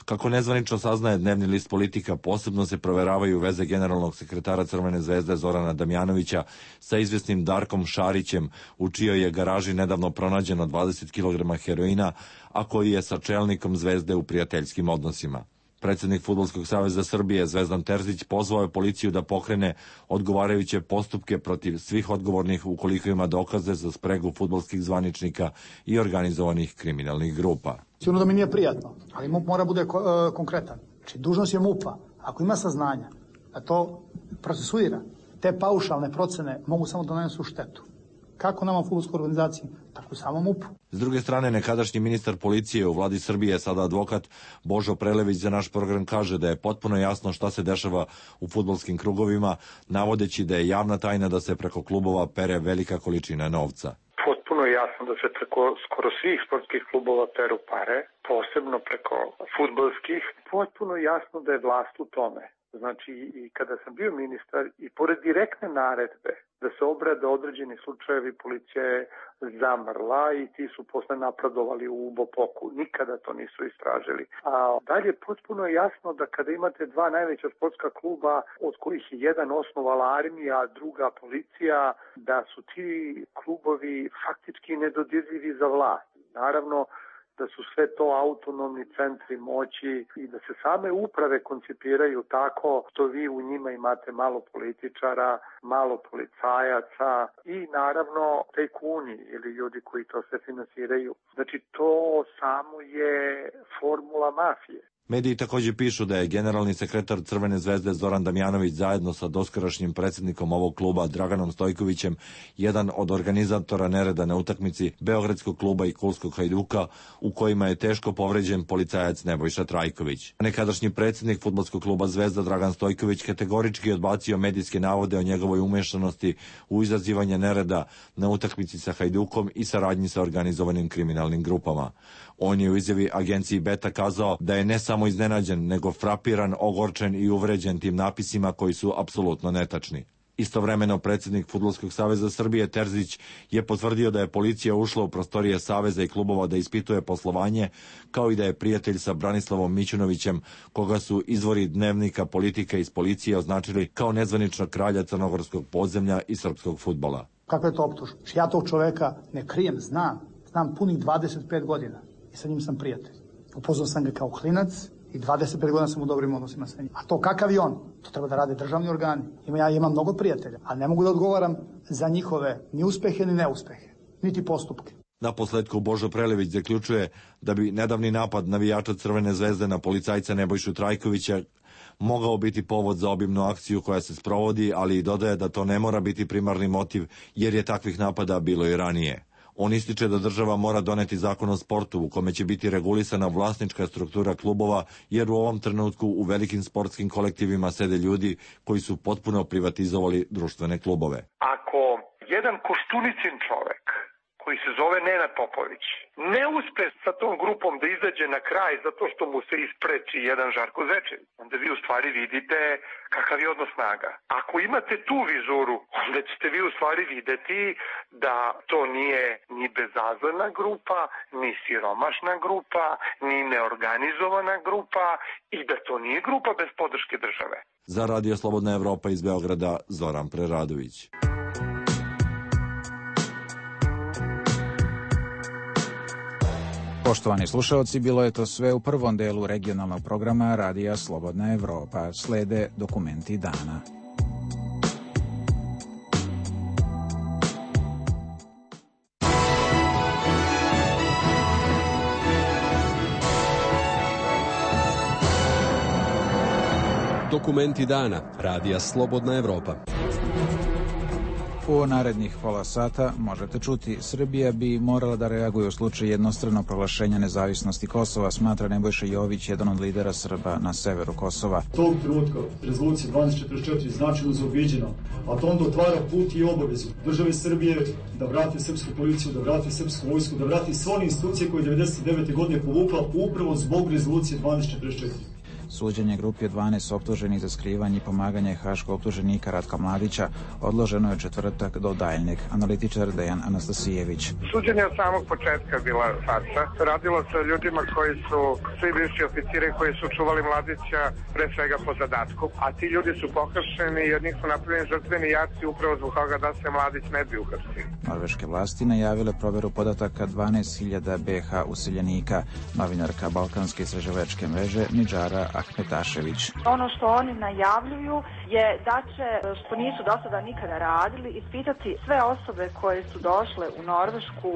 Speaker 8: Kako nezvanično saznaje dnevni list Politika, posebno se proveravaju veze generalnog sekretara Crvene zvezde Zorana Damjanovića sa izvjesnim Darkom Šarićem, u čijoj je garaži nedavno pronađeno 20 kg heroina, a koji je sa čelnikom Zvezde u prijateljskim odnosima. Predsjednik Fudbalskog saveza Srbije Zvezdan Terzić pozvao je policiju da pokrene odgovarajuće postupke protiv svih odgovornih ukoliko ima dokaze za spregu fudbalskih zvaničnika i organizovanih kriminalnih grupa.
Speaker 9: Sigurno da mi nije prijatno, ali MUP mora bude konkretan. Znači, dužnost je MUP-a, ako ima saznanja, da to procesuira. Te paušalne procene mogu samo da nanesu štetu. Kako nama u fudbalskoj organizaciji, tako i samo MUP.
Speaker 8: S druge strane, nekadašnji ministar policije u vladi Srbije, sada advokat Božo Prelević, za naš program kaže da je potpuno jasno šta se dešava u fudbalskim krugovima, navodeći da je javna tajna da se preko klubova pere velika količina novca.
Speaker 24: Potpuno je jasno da se preko skoro svih sportskih klubova peru pare, posebno preko fudbalskih. Potpuno je jasno da je vlast u tome. Znači, i kada sam bio ministar, i pored direktne naredbe da se obrade određeni slučajevi, policija je zamrla i ti su posle napredovali u Bopoku. Nikada to nisu istražili. A dalje potpuno je jasno da kada imate dva najveća sportska kluba, od kojih je jedan osnovala armija, a druga policija, da su ti klubovi faktički nedodirljivi za vlast. Naravno, da su sve to autonomni centri moći i da se same uprave koncipiraju tako što vi u njima imate malo političara, malo policajaca i naravno tajkuni ili ljudi koji to sve finansiraju. Znači to samo je formula mafije.
Speaker 8: Mediji također pišu da je generalni sekretar Crvene zvezde Zoran Damjanović zajedno sa doskorašnjim predsjednikom ovog kluba Draganom Stojkovićem jedan od organizatora nereda na utakmici Beogradskog kluba i Kulskog Hajduka, u kojima je teško povređen policajac Nebojša Trajković. Nekadašnji predsjednik Fudbalskog kluba Zvezda Dragan Stojković kategorički odbacio medijske navode o njegovoj umešanosti u izazivanje nereda na utakmici sa Hajdukom i saradnji sa organizovanim kriminalnim grupama. On je u izjavi agenciji Beta kazao da je ne samo iznenađen, nego frapiran, ogorčen i uvređen tim napisima koji su apsolutno netačni. Istovremeno predsjednik Fudbalskog saveza Srbije Terzić je potvrdio da je policija ušla u prostorije saveza i klubova da ispituje poslovanje, kao i da je prijatelj sa Branislavom Mićunovićem, koga su izvori dnevnika Politika iz policije označili kao nezvaničnog kralja crnogorskog podzemlja i srpskog fudbala.
Speaker 9: Kakva je to optužba? Ja tog čoveka ne krijem, znam punih 25 godina i sa njim sam prijatelj. Upoznao sam ga kao klinac i 25 godina sam u dobrim odnosima sa njim. A to kakav je on? To treba da rade državni organi. Ja imam mnogo prijatelja, ali ne mogu da odgovaram za njihove ni uspehe ni neuspehe, niti postupke.
Speaker 8: Naposletku Božo Prelević zaključuje da bi nedavni napad navijača Crvene zvezde na policajca Nebojšu Trajkovića mogao biti povod za obimnu akciju koja se sprovodi, ali i dodaje da to ne mora biti primarni motiv, jer je takvih napada bilo i ranije. On ističe da država mora doneti zakon o sportu u kome će biti regulisana vlasnička struktura klubova, jer u ovom trenutku u velikim sportskim kolektivima sede ljudi koji su potpuno privatizovali društvene klubove.
Speaker 24: Ako jedan Koštunicin čovek, koji se zove Nenad Popović, ne uspe sa tom grupom da izađe na kraj zato što mu se ispreči jedan Žarko Zečević, onda vi u stvari vidite kakav je odnos snaga. Ako imate tu vizuru, onda ćete vi u stvari videti da to nije ni bezazlena grupa, ni siromašna grupa, ni neorganizovana grupa i da to nije grupa bez podrške države.
Speaker 8: Za Radio Slobodna Evropa iz Beograda, Zoran Preradović.
Speaker 1: Poštovani slušaoci, bilo je to sve u prvom delu regionalnog programa Radija Slobodna Evropa. Slede dokumenti dana.
Speaker 16: Dokumenti dana Radija Slobodna Evropa.
Speaker 1: U narednih pola sata možete čuti, Srbija bi morala da reaguje u slučaju jednostranog proglašenja nezavisnosti Kosova, smatra Nebojša Jović, jedan od lidera Srba na severu Kosova.
Speaker 2: Tog trenutka rezolucija 1244 značajno zaobiđena, a to onda otvara put i obavezu države Srbije da vrati srpsku policiju, da vrati srpsku vojsku, da vrati sve one institucije koje je 1999. godine povukla upravo zbog rezolucije 1244.
Speaker 1: Suđenje grupi od 12 optuženih za skrivanje i pomaganje haškog optuženika Ratka Mladića odloženo je četvrtak do daljnjeg. Analitičar Dejan Anastasijević.
Speaker 24: Suđenje od samog početka je bila farsa. Radilo se o ljudima koji su svi bivši oficiri koji su čuvali Mladića pre svega po zadatku, a ti ljudi su pohapšeni i od njih su napravljeni žrtveni jaci upravo zbog toga da se Mladić ne bi uhapsio.
Speaker 1: Norveške vlasti najavile proveru podataka 12.000 BH useljenika. Novinarka Balkanske istraživačke mreže Nidžara Ahmetašević.
Speaker 3: Ono što oni najavljuju je da će, što nisu do sada nikada radili, ispitati sve osobe koje su došle u Norvešku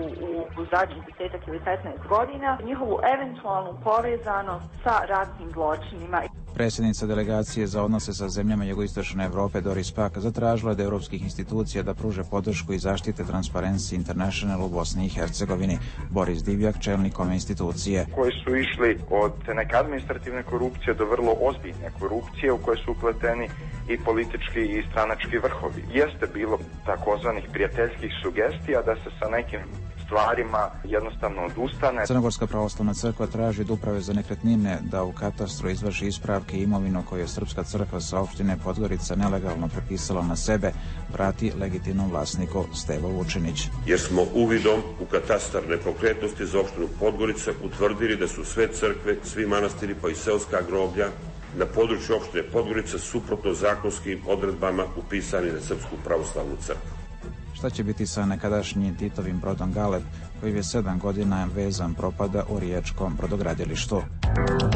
Speaker 3: u zadnjih 10 ili 15 godina, njihovu eventualnu povezanost sa ratnim zločinima.
Speaker 1: Predsjednica delegacije za odnose sa zemljama jugoistočne Evrope Doris Pack zatražila od europskih institucija da pruže podršku i zaštite Transparency International u Bosni i Hercegovini. Boris Divjak, čelnik ove institucije.
Speaker 10: Koji su išli od neke administrativne korupcije do vrlo ozbiljne korupcije u koje su upleteni i politički i stranački vrhovi. Jeste bilo takozvanih prijateljskih sugestija da se sa nekim stvarima jednostavno odustane.
Speaker 1: Crnogorska pravoslavna crkva traži od uprave za nekretnine da u katastru izvrši ispravke imovinu koju je Srpska crkva sa opštine Podgorica nelegalno prepisala na sebe, vrati legitimnom vlasniku Stevo Vučinić.
Speaker 11: Jer smo uvidom u katastar nepokretnosti za opštinu Podgorica utvrdili da su sve crkve, svi manastiri pa i seoska groblja na području opštine Podgorica suprotno zakonskim odredbama upisani na Srpsku pravoslavnu crkvu.
Speaker 1: Šta će biti sa nekadašnjim Titovim brodom Galeb, koji je 7 godina vezan propada u riječkom brodogradilištu?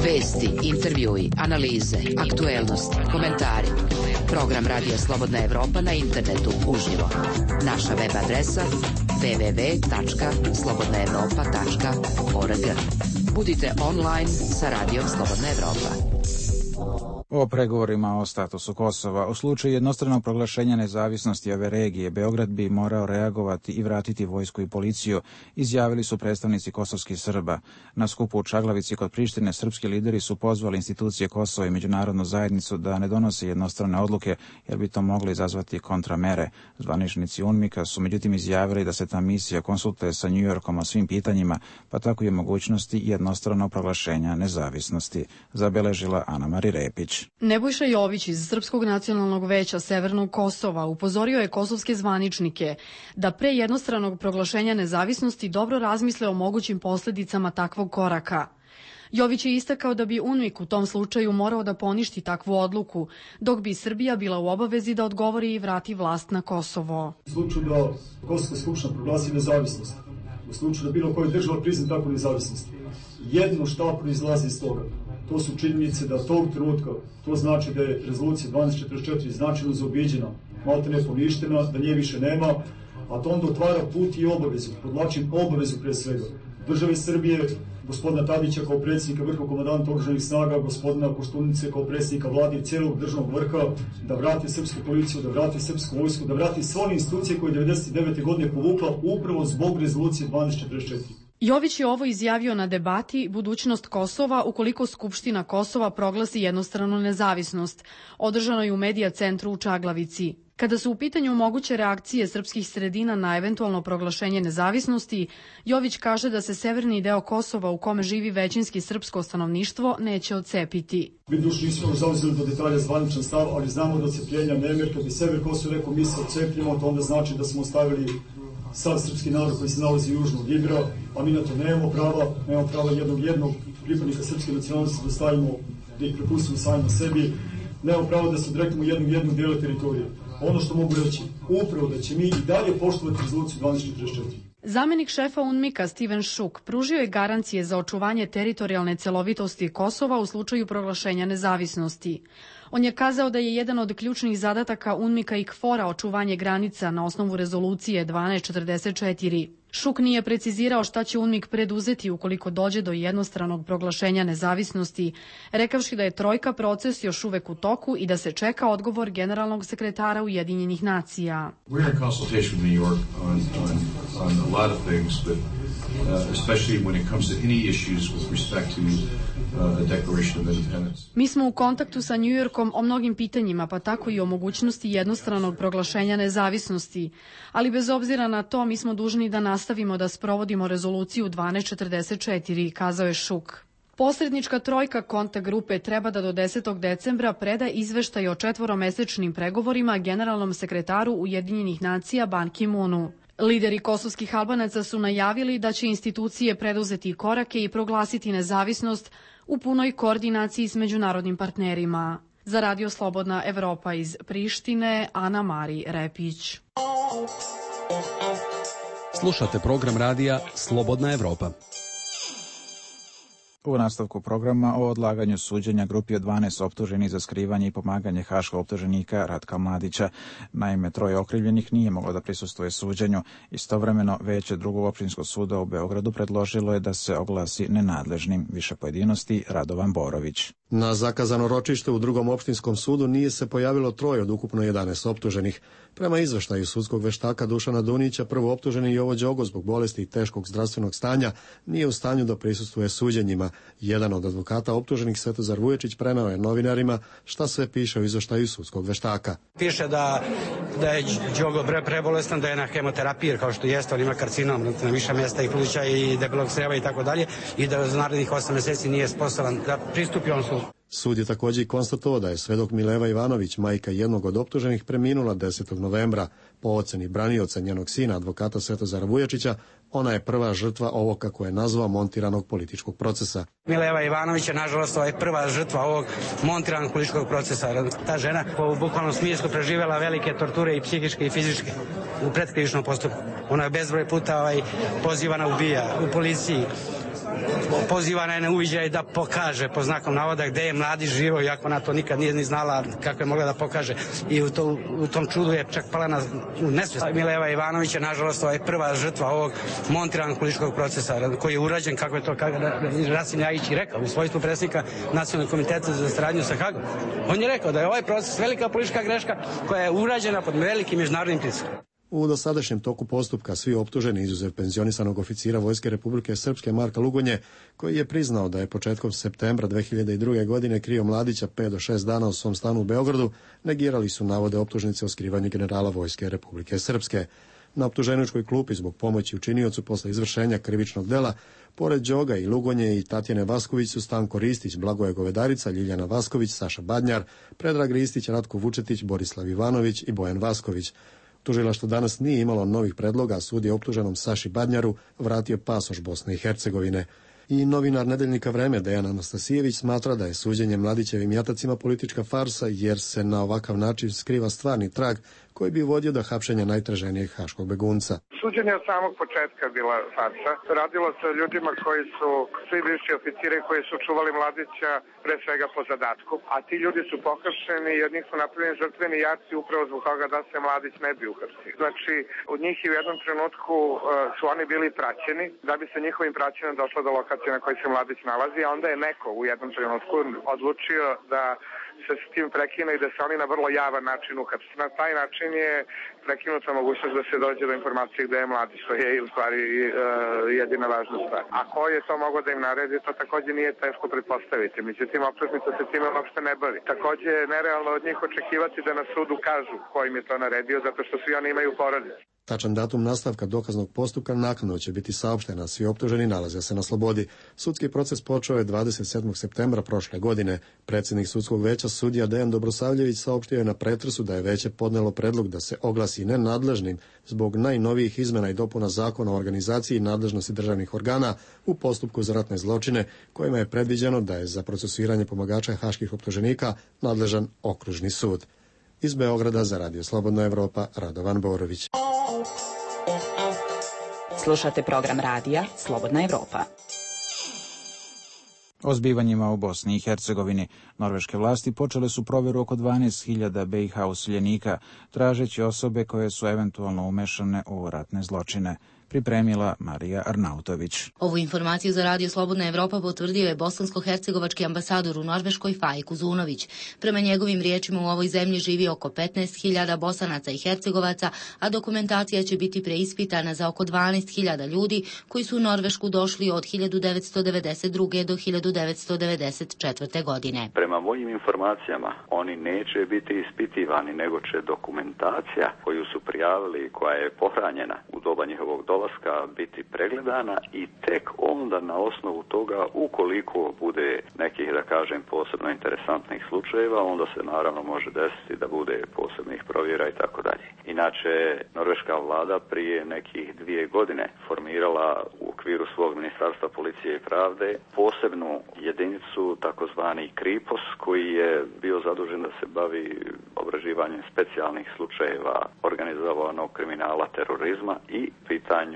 Speaker 25: Vesti, intervjui, analize, aktuelnost, komentari. Program Radija Slobodna Evropa na internetu uživo. Naša web adresa www.slobodnaevropa.org. Budite online sa Radijom Slobodna Evropa.
Speaker 1: O pregovorima o statusu Kosova. U slučaju jednostranog proglašenja nezavisnosti ove regije, Beograd bi morao reagovati i vratiti vojsku i policiju, izjavili su predstavnici kosovskih Srba. Na skupu u Čaglavici kod Prištine srpski lideri su pozvali institucije Kosova i međunarodnu zajednicu da ne donose jednostrane odluke, jer bi to moglo izazvati kontramere. Zvaničnici UNMIK-a su međutim izjavili da se ta misija konsultuje sa New Yorkom o svim pitanjima, pa tako i mogućnosti jednostranog proglašenja nezavisnosti, zabeležila Ana-Mari Repić.
Speaker 26: Nebojša Jović iz Srpskog nacionalnog veća Severnog Kosova upozorio je kosovske zvaničnike da pre jednostranog proglašenja nezavisnosti dobro razmisle o mogućim posledicama takvog koraka. Jović je istakao da bi UNMIK u tom slučaju morao da poništi takvu odluku, dok bi Srbija bila u obavezi da odgovori i vrati vlast na Kosovo.
Speaker 2: U slučaju da Kosovska skupština proglasi nezavisnost, u slučaju da bilo koja država prizna takvu nezavisnost, jedno šta proizlazi iz toga. To su činjenice da tog trenutka, to znači da je rezolucija 1244 značajno zaobiđena, malte ne poništena, da nje više nema, a to onda otvara put i obavezu, podlačim obavezu pre svega, države Srbije, gospodina Tadića kao predsjednika vrhovnog komandanta oružanih snaga, gospodina Koštunice kao predsjednika vlade i cijelog državnog vrha, da vrati srpsku policiju, da vrati srpsku vojsku, da vrati sve one institucije koje je 1999. godine povukla upravo zbog rezolucije 1244.
Speaker 26: Jović je ovo izjavio na debati Budućnost Kosova ukoliko Skupština Kosova proglasi jednostranu nezavisnost, održanoj u Medija centru u Čaglavici. Kada su u pitanju moguće reakcije srpskih sredina na eventualno proglašenje nezavisnosti, Jović kaže da se severni deo Kosova u kome živi većinski srpsko stanovništvo neće odcepiti.
Speaker 2: Mi duš nismo zauzeli do detalja zvaničan stav, ali znamo da odcepljenja nema, jer kad bi sever Kosova rekao mi se odcepljamo, to onda znači da smo ostavili sav srpski narod koji se nalazi južno od Ibra, a mi na to nemamo prava jednog pripadnika srpske nacionalnosti da stavimo, da ih prepustimo samima sebi, nemamo pravo da se odreknemo jednog dijela teritorije. Ono što mogu reći, upravo da će mi i dalje poštovati rezoluciju 1244.
Speaker 26: Zamenik šefa UNMIK-a Steven Šuk pružio je garancije za očuvanje teritorijalne celovitosti Kosova u slučaju proglašenja nezavisnosti. On je kazao da je jedan od ključnih zadataka UNMIK-a i KFOR-a očuvanje granica na osnovu rezolucije 1244. Šuk nije precizirao šta će UNMIK preduzeti ukoliko dođe do jednostranog proglašenja nezavisnosti, rekavši da je trojka proces još uvek u toku i da se čeka odgovor generalnog sekretara Ujedinjenih nacija.
Speaker 4: We're in consultation with New York on a lot of things, but especially when it comes to any issues with respect to the Declaration of Independence.
Speaker 26: Mi smo u kontaktu sa New Yorkom o mnogim pitanjima, pa tako i o mogućnosti jednostranog proglašenja nezavisnosti, ali bez obzira na to mi smo dužni da nastavimo da sprovodimo rezoluciju 1244, kazao je Šuk. Posrednička trojka kontakt grupe treba da do 10. decembra preda izveštaj o 4-mesečnim pregovorima generalnom sekretaru Ujedinjenih nacija Ban Ki-moonu. Lideri kosovskih Albanaca su najavili da će institucije preduzeti korake i proglasiti nezavisnost u punoj koordinaciji s međunarodnim partnerima. Za Radio Slobodna Evropa iz Prištine, Ana Mari Repić.
Speaker 16: Slušate program radija Slobodna Evropa.
Speaker 1: U nastavku programa o odlaganju suđenja grupi od 12 optuženih za skrivanje i pomaganje haškog optuženika Ratka Mladića. Naime, 3 okrivljenih nije moglo da prisustvuje suđenju. Istovremeno, veće Drugog opštinskog suda u Beogradu predložilo je da se oglasi nenadležnim. Više pojedinosti Radovan Borović.
Speaker 12: Na zakazano ročište u Drugom opštinskom sudu nije se pojavilo 3 od ukupno 11 optuženih. Prema izveštaju sudskog veštaka Dušana Dunića, prvo optuženi Jovo Đogo zbog bolesti i teškog zdravstvenog stanja nije u stanju da prisustvuje suđenjima. Jedan od advokata optuženih, Svetozar Vuječić, preneo je novinarima šta sve piše u izveštaju sudskog veštaka.
Speaker 13: Piše da je Đogo prebolestan, da je na hemoterapiji, kao što jeste, on ima karcinom na više mjesta i pluća i debelog creva i tako dalje, i da za narednih 8 meseci nije sposoban da pristupi on sudu.
Speaker 12: Sud je također i konstatovao da je svedok Mileva Ivanović, majka jednog od optuženih, preminula 10. novembra. Po oceni branioca njenog sina, advokata Svetozara Vuječića, ona je prva žrtva ovog, kako je nazvao, montiranog političkog procesa.
Speaker 13: Mileva Ivanović je, nažalost, prva žrtva ovog montiranog političkog procesa. Ta žena u bukvalnom smislu preživjela velike torture i psihičke i fizičke u predkrivičnom postupku. Ona je bezbroj puta pozivana ubija u policiji. Pozivana je na uviđaj da pokaže, po znakom navoda, gde je Mladić živo, iako ona to nikad nije ni znala kako je mogla da pokaže. I u tom čudu je čak pala na nesvijest. Mileva Ivanović je, nažalost, prva žrtva ovog montiranog političkog procesa, koji je urađen, kako je to Rasim Ljajić i rekao, u svojstvu predsjednika Nacionalnog komiteta za saradnju sa Hagom. On je rekao da je ovaj proces velika politička greška koja je urađena pod velikim međunarodnim pritiskom.
Speaker 12: U dosadašnjem toku postupka svi optuženi, izuzev penzionisanog oficira Vojske Republike Srpske Marka Lugonje, koji je priznao da je početkom septembra 2002. godine krio Mladića 5 do 6 dana u svom stanu u Beogradu, negirali su navode optužnice o skrivanju generala Vojske Republike Srpske. Na optuženičkoj klupi zbog pomoći učiniocu posle izvršenja krivičnog dela, pored Đoga i Lugonje i Tatjane Vasković su Stanko Ristić, Blagoje Govedarica, Ljiljana Vasković, Saša Badnjar, Predrag Ristić, Ratko Vučetić, Borislav Ivanović i Bojan Vasković. Tužilaštvo danas nije imalo novih predloga, a sud je optuženom Saši Badnjaru vratio pasoš Bosne i Hercegovine. I novinar Nedeljnika Vreme Dejan Anastasijević smatra da je suđenje Mladićevim jatacima politička farsa, jer se na ovakav način skriva stvarni trag koji bi vodio do hapšenja najtraženijeg haškog begunca.
Speaker 6: Suđenje od samog početka bila farsa. Radilo se o ljudima koji su svi bivši oficiri koji su čuvali Mladića pre svega po zadatku, a ti ljudi su pohapšeni i od njih su napravljeni žrtveni jaci upravo zbog toga da se Mladić ne bi uhapsio. Znači, od njih i u jednom trenutku su oni bili praćeni, da bi se njihovim praćenjem došlo do lokacije na kojoj se Mladić nalazi, a onda je neko u jednom trenutku odlučio da se s tim prekine i da se oni na vrlo javan način uhapse. Na taj način
Speaker 24: način je prekinuta mogućnost da se dođe do informacije gde je mladi, što je u stvari jedina važna stvar. A ko je to mogao da im naredi, to takođe nije teško pretpostaviti. Međutim, optužnica se time uopšte ne bavi. Takođe je nerealno od njih očekivati da na sudu kažu ko im je to naredio, zato što svi oni imaju porodice.
Speaker 12: Tačan datum nastavka dokaznog postupka naknadno će biti saopšten, a svi optuženi nalaze se na slobodi. Sudski proces počeo je 27. septembra prošle godine. Predsjednik sudskog veća sudija Dejan Dobrosavljević saopštio je na pretresu da je veće podnelo predlog da se oglasi nenadležnim zbog najnovijih izmena i dopuna Zakona o organizaciji i nadležnosti državnih organa u postupku za ratne zločine, kojima je predviđeno da je za procesuiranje pomagača haških optuženika nadležan okružni sud. Iz Beograda za Radio Slobodna Evropa, Radovan Borović.
Speaker 5: Slušate program radija Slobodna Evropa.
Speaker 1: O zbivanjima u Bosni i Hercegovini norveške vlasti počele su provjeru oko 12.000 BiH useljenika, tražeći osobe koje su eventualno umešane u ratne zločine. Pripremila Marija Arnautović.
Speaker 14: Ovu informaciju za Radio Slobodna Evropa potvrdio je bosansko-hercegovački ambasador u Norveškoj Fajk Uzunović. Prema njegovim riječima u ovoj zemlji živi oko 15.000 Bosanaca i Hercegovaca, a dokumentacija će biti preispitana za oko 12.000 ljudi koji su u Norvešku došli od 1992. do 1994. godine.
Speaker 15: Prema mojim informacijama, oni neće biti ispitivani, nego će dokumentacija koju su prijavili i koja je pohranjena u doba njihovog dolaska biti pregledana i tek onda na osnovu toga, ukoliko bude nekih, da kažem, posebno interesantnih slučajeva, onda se naravno može desiti da bude posebnih provjera i tako dalje. Inače, norveška vlada prije nekih 2 godine formirala u okviru svog ministarstva policije i pravde posebnu jedinicu, takozvani Kripos, koji je bio zadužen da se bavi obraživanjem specijalnih slučajeva organizovanog kriminala, terorizma i pitanju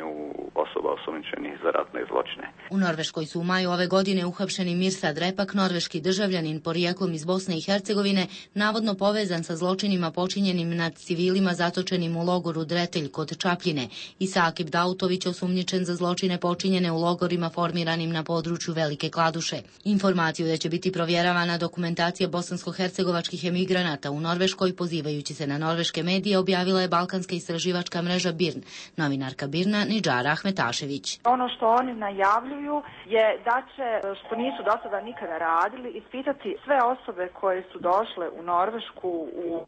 Speaker 15: osoba osumnjičenih za ratne zločine.
Speaker 14: U Norveškoj su u maju ove godine uhapšeni Mirsad Repak, norveški državljanin porijeklom iz Bosne i Hercegovine, navodno povezan sa zločinima počinjenim nad civilima zatočenim u logoru Dretelj kod Čapljine, i Sakib Dautović, osumnjičen za zločine počinjene u logorima formiranim na području Velike Kladuše. Informaciju da će biti provjeravana dokumentacija bosansko-hercegovačkih emigranata u Norveškoj, pozivajući se na norveške medije, objavila je balkanska istraživačka mreža BIRN. Novinarka BIRN Nidžara Ahmetašević.
Speaker 3: Ono što oni najavljuju je da će, što nisu do sada nikada radili, ispitati sve osobe koje su došle u Norvešku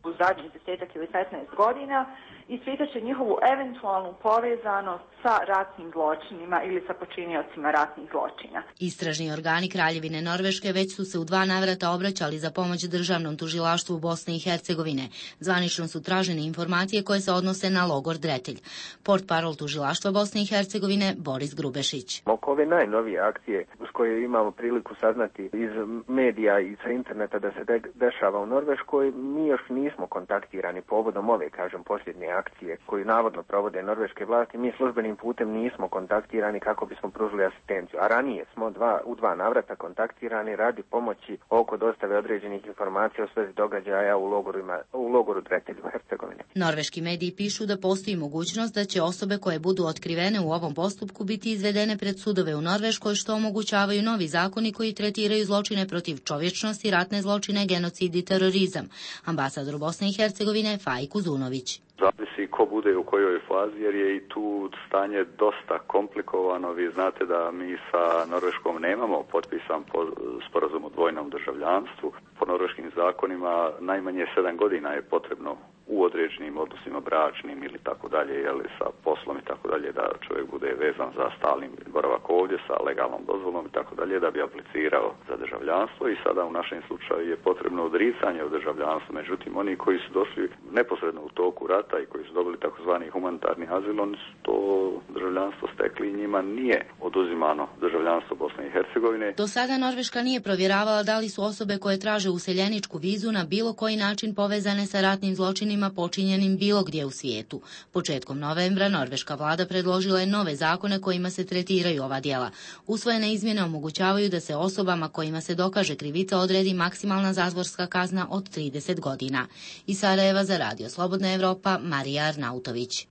Speaker 3: u zadnjih 10 ili 15 godina, ispitat će njihovu eventualnu povezanost sa ratnim zločinima ili sa počiniocima ratnih zločina.
Speaker 14: Istražni organi Kraljevine Norveške već su se u 2 navrata obraćali za pomoć državnom tužilaštvu Bosne i Hercegovine. Zvanično su tražene informacije koje se odnose na logor Dretelj. Portparol tužilaštva Bosne i Hercegovine Boris Grubešić.
Speaker 17: Oko ove najnovije akcije uz koje imamo priliku saznati iz medija i sa interneta da se dešava u Norveškoj, mi još nismo kontaktirani povodom ove, posljednje akcije koju navodno provode norveške vlasti. Mi službenim putem nismo kontaktirani kako bismo pružili asistenciju, a ranije smo u 2 navrata kontaktirani radi pomoći oko dostave određenih informacija o svezi događaja u logoru Dretelj u Hercegovini.
Speaker 14: Norveški mediji pišu da postoji mogućnost da će osobe koje budu otkrivene u ovom postupku biti izvedene pred sudove u Norveškoj, što omogućavaju novi zakoni koji tretiraju zločine protiv čovječnosti, ratne zločine, genocid i terorizam. Ambasador Bosne i Hercegovine Fajk Uzunović.
Speaker 15: Zavisi ko bude u kojoj fazi, jer je i tu stanje dosta komplikovano. Vi znate da mi sa Norveškom nemamo potpisan sporazum o dvojnom državljanstvu. Po norveškim zakonima najmanje 7 godina je potrebno u određenim odnosima bračnim ili tako dalje, jeli sa poslom i tako dalje, da čovjek bude vezan za stalni boravak ovdje sa legalnom dozvolom i tako dalje, da bi aplicirao za državljanstvo. I sada u našem slučaju je potrebno odricanje od državljanstva. Međutim, oni koji su došli neposredno u toku rata i koji su dobili takozvani humanitarni azil, oni su to državljanstvo stekli i njima nije oduzimano državljanstvo Bosne i Hercegovine.
Speaker 14: Do sada Norveška nije provjeravala da li su osobe koje traže useljeničku vizu na bilo koji način povezane sa ratnim zločinima počinjenim bilo gdje u svijetu. Početkom novembra norveška vlada predložila je nove zakone kojima se tretiraju ova djela. Usvojene izmjene omogućavaju da se osobama kojima se dokaže krivica odredi maksimalna zatvorska kazna od 30 godina. Iz Sarajeva za Radio Slobodna Evropa, Marija Arnautović.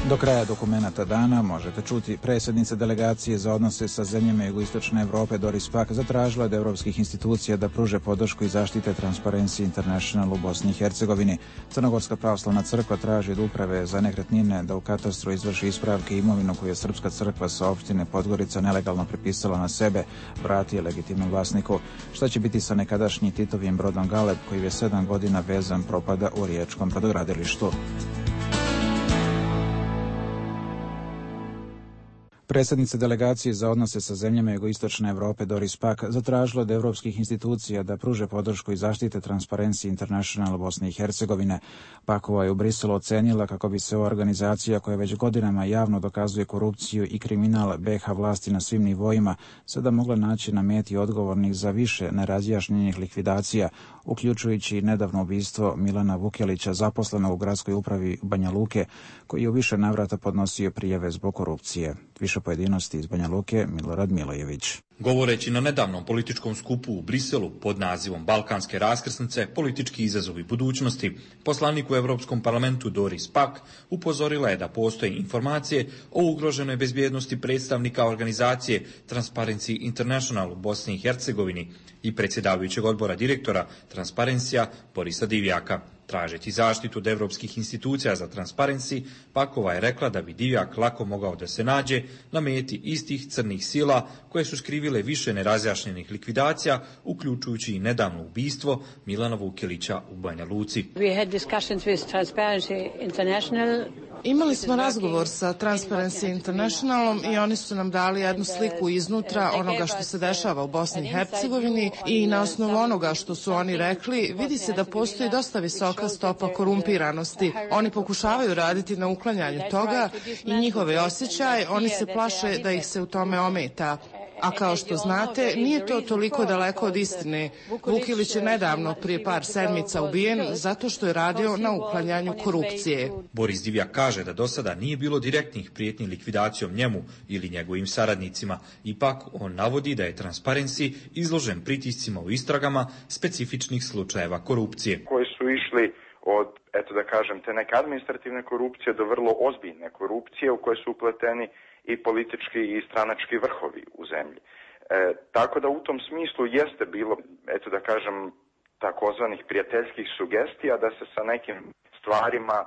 Speaker 1: Do kraja dokumenata dana možete čuti predsjednica delegacije za odnose sa zemljama jugoistočne Evrope Doris Pack zatražila od evropskih institucija da pruže podršku i zaštite Transparency International u Bosni i Hercegovini. Crnogorska pravoslavna crkva traži od uprave za nekretnine da u katastru izvrši ispravke imovinu koju je Srpska crkva sa opštine Podgorica nelegalno prepisala na sebe, vrati legitimnom vlasniku. Šta će biti sa nekadašnjim Titovim brodom Galeb koji je 7 godina vezan propada u riječkom brodogradilištu? Predsjednica delegacije za odnose sa zemljama jugoistočne Evrope Doris Pack zatražila od evropskih institucija da pruže podršku i zaštite Transparency International Bosne i Hercegovine. Packova je u Briselu ocenila kako bi se ova organizacija koja već godinama javno dokazuje korupciju i kriminal BiH vlasti na svim nivoima sada mogla naći na meti odgovornih za više nerazjašnjenih likvidacija, uključujući nedavno ubistvo Milana Vukelića, zaposlenog u gradskoj upravi Banja Luke, koji je u više navrata podnosio prijave zbog korupcije. Više pojedinosti iz Banja Luke, Milorad Milojević.
Speaker 18: Govoreći na nedavnom političkom skupu u Briselu pod nazivom Balkanske raskrsnice, politički izazovi budućnosti, poslanik u Europskom parlamentu Doris Pack upozorila je da postoje informacije o ugroženoj bezbjednosti predstavnika organizacije Transparency International u Bosni i Hercegovini i predsjedavajućeg odbora direktora Transparencija Borisa Divjaka. Tražeći zaštitu od evropskih institucija za Transparency, Packova je rekla da bi Divjak lako mogao da se nađe na meti istih crnih sila koje su skrivile više nerazjašnjenih likvidacija, uključujući i nedavno ubistvo Milana Vukelića u Banja Luci.
Speaker 19: Imali smo razgovor sa Transparency Internationalom i oni su nam dali jednu sliku iznutra onoga što se dešava u Bosni i Hercegovini i na osnovu onoga što su oni rekli vidi se da postoji dosta visoka stopa korumpiranosti. Oni pokušavaju raditi na uklanjanju toga i njihove osjećaje, oni se plaše da ih se u tome ometa. A kao što znate, nije to toliko daleko od istine. Vukelić je nedavno, prije par sedmica, ubijen zato što je radio na uklanjanju korupcije.
Speaker 18: Boris Divjak kaže da do sada nije bilo direktnih prijetnji likvidacijom njemu ili njegovim saradnicima. Ipak, on navodi da je Transparency izložen pritiscima u istragama specifičnih slučajeva korupcije.
Speaker 10: Koji su išli od, da kažem, te neke administrativne korupcije do vrlo ozbiljne korupcije u koje su upleteni i politički i stranački vrhovi u zemlji. Tako da u tom smislu jeste bilo, da kažem, takozvanih prijateljskih sugestija da se sa nekim stvarima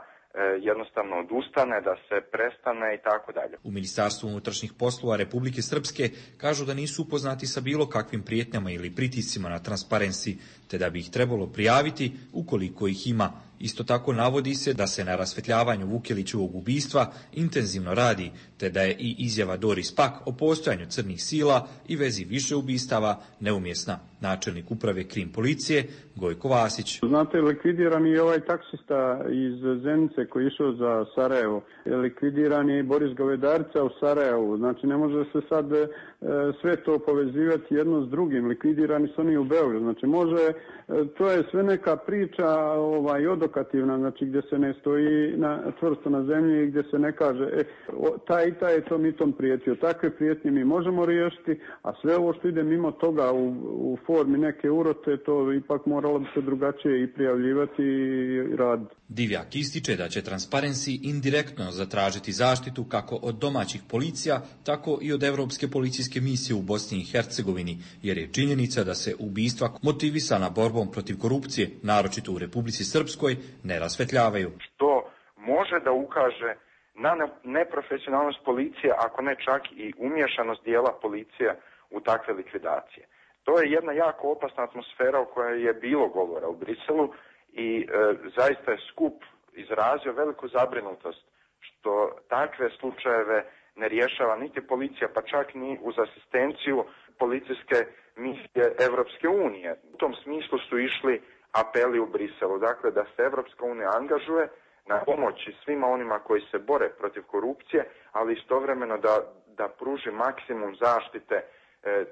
Speaker 10: jednostavno odustane, da se prestane i tako dalje.
Speaker 18: U Ministarstvu unutrašnjih poslova Republike Srpske kažu da nisu upoznati sa bilo kakvim prijetnjama ili pritiscima na Transparency, te da bi ih trebalo prijaviti ukoliko ih ima. Isto tako navodi se da se na rasvetljavanju Vukelićevog ubistva intenzivno radi, te da je i izjava Doris Pack o postojanju crnih sila i vezi više ubistava neumjesna. Načelnik uprave Krim policije Gojko Vasić.
Speaker 20: Znate, likvidiran je ovaj taksista iz Zenice koji je išao za Sarajevo. Likvidiran je i Boris Govedarica u Sarajevu. Znači, ne može se sad sve to povezivati jedno s drugim. Likvidirani su oni u Beogradu. Znači, može, to je sve neka priča odokativna, znači gdje se ne stoji čvrsto na zemlji i gdje se ne kaže taj i taj je to mi tom prijetio. Takve prijetnje mi možemo riješiti, a sve ovo što ide mimo toga u formi neke urote, to ipak moralo bi se drugačije i prijavljivati i raditi.
Speaker 18: Divjak ističe da će Transparency indirektno zatražiti zaštitu kako od domaćih policija, tako i od Evropske policijske misije u Bosni i Hercegovini, jer je činjenica da se ubistva motivisana borbom protiv korupcije, naročito u Republici Srpskoj, ne rasvetljavaju.
Speaker 10: Što može da ukaže na neprofesionalnost policije, ako ne čak i umješanost dijela policije u takve likvidacije. To je jedna jako opasna atmosfera o kojoj je bilo govora u Briselu i zaista je skup izrazio veliku zabrinutost što takve slučajeve ne rješava niti policija, pa čak ni uz asistenciju policijske misije Evropske unije. U tom smislu su išli apeli u Briselu, dakle da se Evropska unija angažuje na pomoći svima onima koji se bore protiv korupcije, ali istovremeno da pruži maksimum zaštite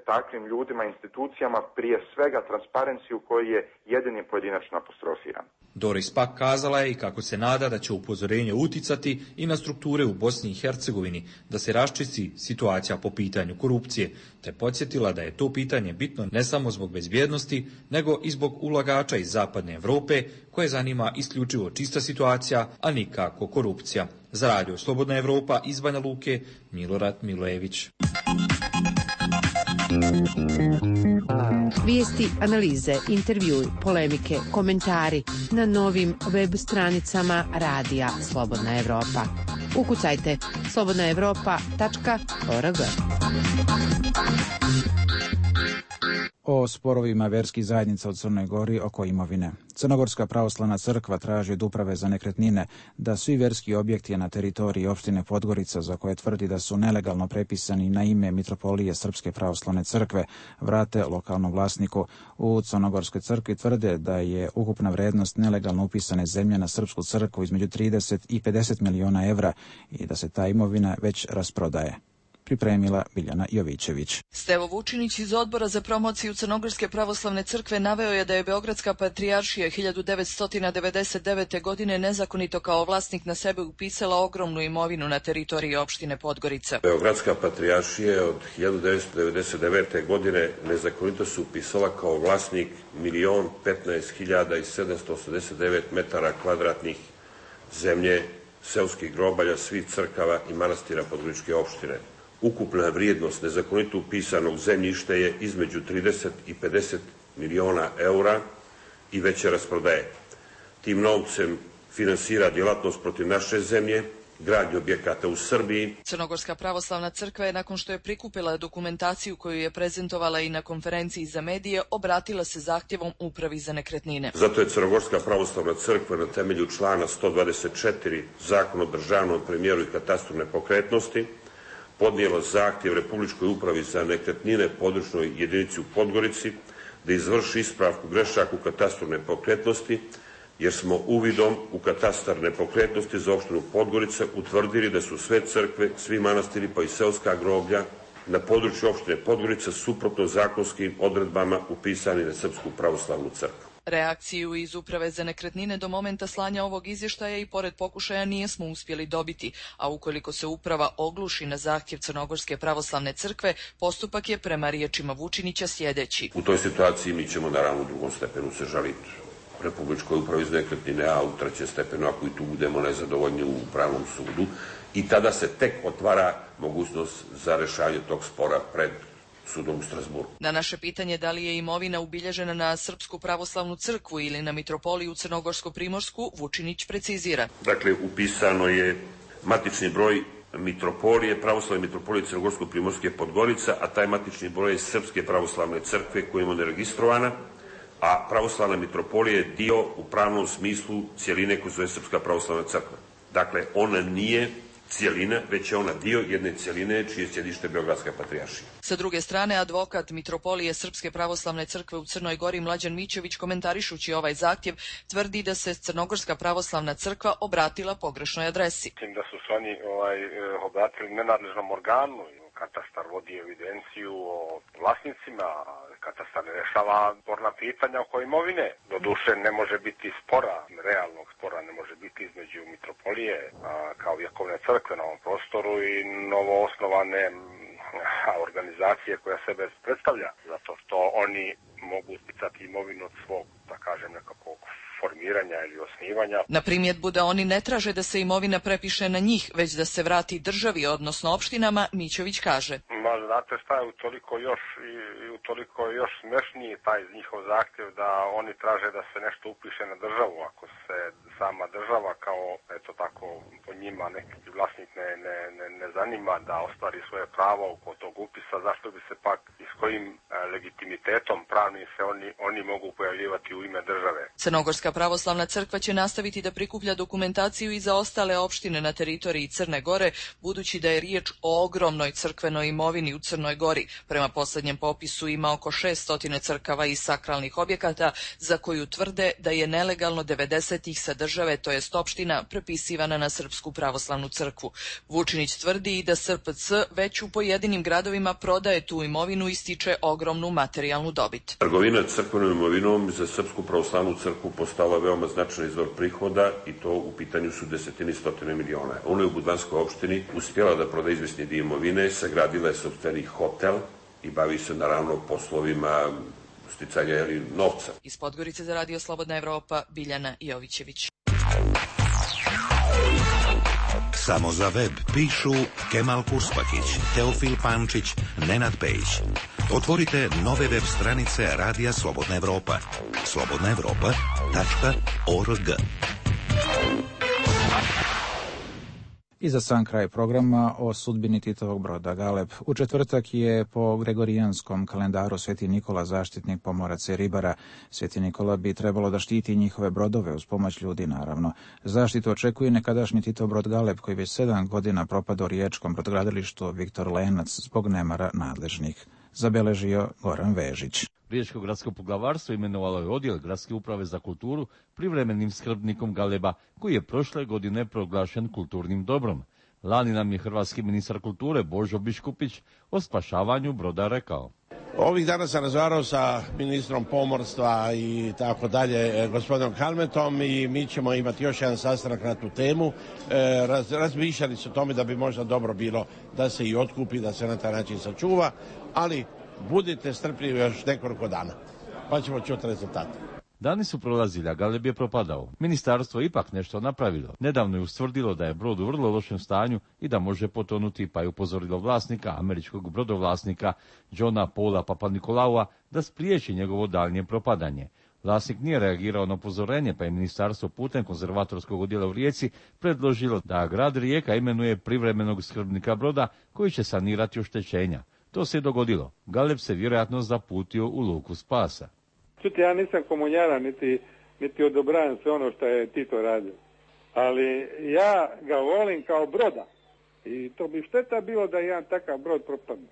Speaker 10: takvim ljudima, institucijama, prije svega Transparency koji je jedini pojedinačno apostrofiran.
Speaker 18: Doris Pack kazala je i kako se nada da će upozorenje uticati i na strukture u Bosni i Hercegovini, da se raščisti situacija po pitanju korupcije, te podsjetila da je to pitanje bitno ne samo zbog bezbjednosti, nego i zbog ulagača iz zapadne Evrope, koje zanima isključivo čista situacija, a nikako korupcija. Za Radio Slobodna Evropa iz Banja Luke, Milorad Milojević.
Speaker 7: Vijesti, analize, intervjui, polemike, komentari na novim web stranicama Radija Slobodna Evropa. Ukucajte slobodnaevropa.org.
Speaker 1: O sporovima verskih zajednica u Crnoj Gori oko imovine. Crnogorska pravoslavna crkva traži od Uprave za nekretnine da svi verski objekti na teritoriji opštine Podgorica, za koje tvrdi da su nelegalno prepisani na ime Mitropolije Srpske pravoslavne crkve, vrate lokalnom vlasniku. U Crnogorskoj crkvi tvrde da je ukupna vrednost nelegalno upisane zemlje na Srpsku crkvu između 30 i 50 miliona evra i da se ta imovina već rasprodaje. Pripremila Biljana Jovićević.
Speaker 8: Stevo Vučinić iz Odbora za promociju Crnogorske pravoslavne crkve naveo je da je Beogradska patrijaršija 1999. godine nezakonito kao vlasnik na sebe upisala ogromnu imovinu na teritoriji opštine Podgorica.
Speaker 11: Beogradska patrijaršija od 1999. godine nezakonito se upisala kao vlasnik 1.015.789 metara kvadratnih zemlje, seoskih grobalja, svih crkava i manastira Podgoričke opštine. Ukupna vrijednost nezakonito upisanog zemljišta je između 30 i 50 miliona eura i veće rasprodaje. Tim novcem finansira djelatnost protiv naše zemlje, gradnju objekata u Srbiji.
Speaker 8: Crnogorska pravoslavna crkva je, nakon što je prikupila dokumentaciju koju je prezentovala i na konferenciji za medije, obratila se zahtjevom Upravi za nekretnine.
Speaker 11: Zato je Crnogorska pravoslavna crkva na temelju člana 124 Zakona o državnom premijeru i katastru nepokretnosti podnijela zahtjev Republičkoj upravi za nekretnine područnoj jedinici u Podgorici da izvrši ispravku grešaka u katastru nepokretnosti, jer smo uvidom u katastar nepokretnosti za opštinu Podgorica utvrdili da su sve crkve, svi manastiri pa i seoska groblja na području opštine Podgorica suprotno zakonskim odredbama upisani na Srpsku pravoslavnu crkvu.
Speaker 8: Reakciju iz Uprave za nekretnine do momenta slanja ovog izvještaja i pored pokušaja nismo uspjeli dobiti, a ukoliko se uprava ogluši na zahtjev Crnogorske pravoslavne crkve, postupak je prema riječima Vučinića sljedeći.
Speaker 11: U toj situaciji mi ćemo naravno u drugom stepenu se žaliti Republičkoj upravi za nekretnine, a u trećem stepenu ako i tu budemo nezadovoljni u Upravnom sudu, i tada se tek otvara mogućnost za rješavanje tog spora pred sudom u Strasburu.
Speaker 8: Na naše pitanje da li je imovina ubilježena na Srpsku pravoslavnu crkvu ili na Mitropoliju Crnogorsko-Primorsku, Vučinić precizira.
Speaker 11: Dakle, upisano je matični broj Mitropolije, pravoslavne Mitropolije Crnogorsko-Primorske Podgorica, a taj matični broj je Srpske pravoslavne crkve koja je neregistrovana, a pravoslavna Mitropolija je dio u pravnom smislu cijeline koja zove Srpska pravoslavna crkva. Dakle, ona nije cijelina, već je ona dio jedne cijeline čije je sjedište Beogradska patrijaršija.
Speaker 8: Sa druge strane, advokat Mitropolije Srpske pravoslavne crkve u Crnoj Gori Mlađan Mićević, komentarišući ovaj zahtjev, tvrdi da se Crnogorska pravoslavna crkva obratila pogrešnoj adresi.
Speaker 24: Mislim da su se oni obratili nenadležnom organu. Katastar vodi evidenciju o vlasnicima, katastar ne rešava sporna pitanja oko imovine. Doduše ne može biti spora, realnog spora ne može biti između Mitropolije kao vjekovne crkve na ovom prostoru i novoosnovane organizacije koja sebe predstavlja, zato što oni mogu sticati imovinu od svog, da kažem, nekakvog formiranja ili osnivanja.
Speaker 8: Na primjedbu da oni ne traže da se imovina prepiše na njih, već da se vrati državi, odnosno opštinama, Mićević kaže.
Speaker 24: Ma, znate šta je utoliko još smešniji taj njihov zahtjev da oni traže da se nešto upiše na državu. Ako se sama država kao, eto tako, po njima neki vlasnik ne zanima da ostvari svoje pravo oko tog upisa, zašto bi se pak i s kojim legitimitetom pravnim se oni mogu pojavljivati u ime države.
Speaker 8: Crnogorska pravoslavna crkva će nastaviti da prikuplja dokumentaciju i za ostale opštine na teritoriji Crne Gore, budući da je riječ o ogromnoj crkvenoj imovini u Crnoj Gori. Prema posljednjem popisu ima oko 600 crkava i sakralnih objekata za koju tvrde da je nelegalno 90-ih sadržala države, to jest opština, prepisivana na Srpsku pravoslavnu crkvu. Vučinić tvrdi i da SPC već u pojedinim gradovima prodaje tu imovinu i stiče ogromnu materijalnu dobit.
Speaker 11: Trgovina crkvenom imovinom za Srpsku pravoslavnu crkvu postala veoma značajan izvor prihoda i to u pitanju su desetine i stotine miliona. Ona je u Budvanskoj opštini uspjela da proda izvesni dio imovine, sagradila je sopstveni hotel i bavi se naravno poslovima sticanja novca.
Speaker 8: Iz Podgorice za Radio Slobodna Evropa, Biljana Jovićević.
Speaker 2: Samo za web pišu Kemal Kuspakić, Teofil Pančić, Nenad Pejić. Otvorite nove web stranice Radija Slobodna Evropa. slobodnaevropa.org.
Speaker 1: I za sam kraj programa o sudbini Titovog broda Galeb. U četvrtak je po gregorijanskom kalendaru Sveti Nikola zaštitnik pomoraca i ribara. Sveti Nikola bi trebalo da štiti njihove brodove uz pomoć ljudi, naravno. Zaštitu očekuje nekadašnji Titov brod Galeb koji već 7 godina propada u riječkom brodogradilištu Viktor Lenac zbog nemara nadležnih. Zabeležio Goran Vežić.
Speaker 9: Riječko gradsko poglavarstvo imenovalo je odjel Gradske uprave za kulturu privremenim skrbnikom Galeba, koji je prošle godine proglašen kulturnim dobrom. Lani nam je hrvatski ministar kulture Božo Biškupić o spašavanju broda rekao.
Speaker 21: Ovih dana sam razgovarao sa ministrom pomorstva i tako dalje, gospodinom Kalmetom, i mi ćemo imati još jedan sastanak na tu temu. Razmišljali su o tome da bi možda dobro bilo da se i otkupi, da se na taj način sačuva, ali budite strpljivi još nekoliko dana, pa ćemo čuti rezultate.
Speaker 9: Dani su prolazili, a Galeb je propadao. Ministarstvo je ipak nešto napravilo. Nedavno je ustvrdilo da je brod u vrlo lošem stanju i da može potonuti, pa je upozorilo vlasnika, američkog brodovlasnika Johna Paula Papanikolaua, da spriječi njegovo daljnje propadanje. Vlasnik nije reagirao na upozorenje, pa je ministarstvo putem konzervatorskog odjela u Rijeci predložilo da grad Rijeka imenuje privremenog skrbnika broda koji će sanirati oštećenja. To se je dogodilo. Galeb se vjerojatno zaputio u luku spasa.
Speaker 22: Čuti, ja nisam komunjara, niti odobravam sve ono što je Tito radio. Ali ja ga volim kao broda. I to bi šteta bilo da jedan takav brod propadne.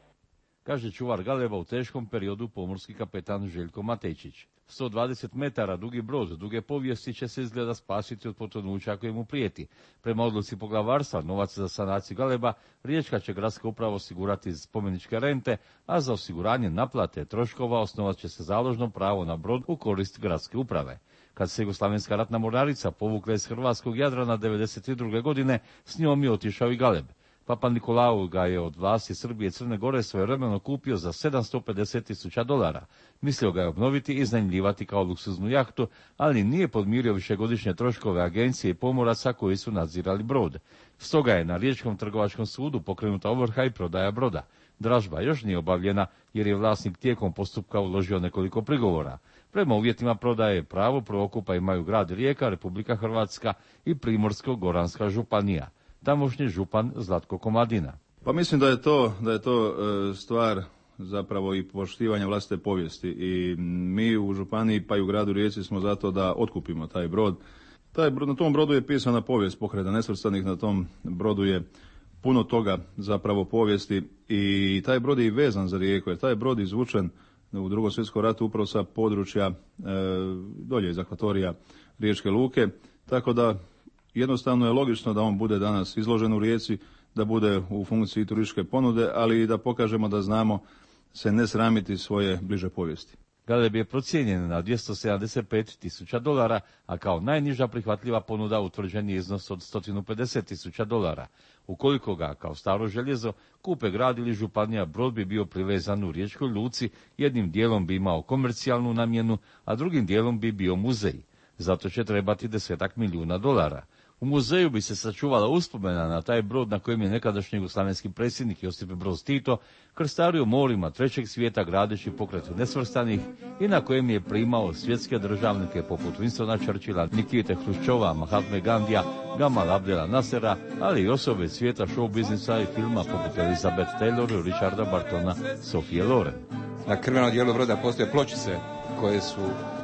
Speaker 9: Kaže čuvar Galeba u teškom periodu pomorski kapetan Željko Matejčić. 120 metara dugi brod duge povijesti će se izgleda spasiti od potonuća koje mu prijeti. Prema odluci poglavarstva, novac za sanaciju Galeba Riječka će gradska uprava osigurati spomeničke rente, a za osiguranje naplate troškova osnovat će se založno pravo na brod u korist gradske uprave. Kad se Jugoslavenska ratna mornarica povukla iz hrvatskog Jadrana 1992. godine, s njom je otišao i Galeb. Papa Nikolau ga je od vlasti Srbije i Crne Gore svojevremeno kupio za $750,000. Mislio ga je obnoviti i iznajmljivati kao luksuznu jahtu, ali nije podmirio višegodišnje troškove agencije i pomoraca koji su nadzirali brod. Stoga je na Riječkom trgovačkom sudu pokrenuta ovrha i prodaja broda. Dražba još nije obavljena jer je vlasnik tijekom postupka uložio nekoliko prigovora. Prema uvjetima prodaje pravo prvokupa imaju grad Rijeka, Republika Hrvatska i Primorsko-Goranska županija. Tamošnji župan Zlatko Komadina.
Speaker 23: Pa mislim da je to stvar zapravo i poštivanja vlastite povijesti i mi u županiji pa i u gradu Rijeci smo zato da otkupimo taj brod. Na tom brodu je pisana povijest Pokreta nesvrstanih, na tom brodu je puno toga zapravo povijesti i taj brod je i vezan za Rijeku, jer taj brod izvučen u Drugom svjetskom ratu upravo sa područja dolje iz akvatorija Riječke luke, tako da jednostavno je logično da on bude danas izložen u Rijeci, da bude u funkciji turističke ponude, ali i da pokažemo da znamo se ne sramiti svoje bliže povijesti.
Speaker 9: Galeb je procijenjen na $275,000, a kao najniža prihvatljiva ponuda utvrđen je iznos od $150,000. Ukoliko ga, kao staro željezo, kupe grad ili županija, brod bi bio privezan u Riječkoj luci, jednim dijelom bi imao komercijalnu namjenu, a drugim dijelom bi bio muzej. Zato će trebati $10 milijuna. U muzeju bi se sačuvala uspomena na taj brod na kojem je nekadašnji jugoslavenski predsjednik Josip Broz Tito krstario morima trećeg svijeta gradeći pokret nesvrstanih i na kojem je primao svjetske državnike poput Winstona Churchilla, Nikite Hruščova, Mahatme Gandija, Gamal Abdela Nasera, ali i osobe svijeta show biznisa i filma poput Elizabeth Taylor, Richarda Bartona, Sofije Loren.
Speaker 25: Na krvenom dijelu broda postoje pločice koje su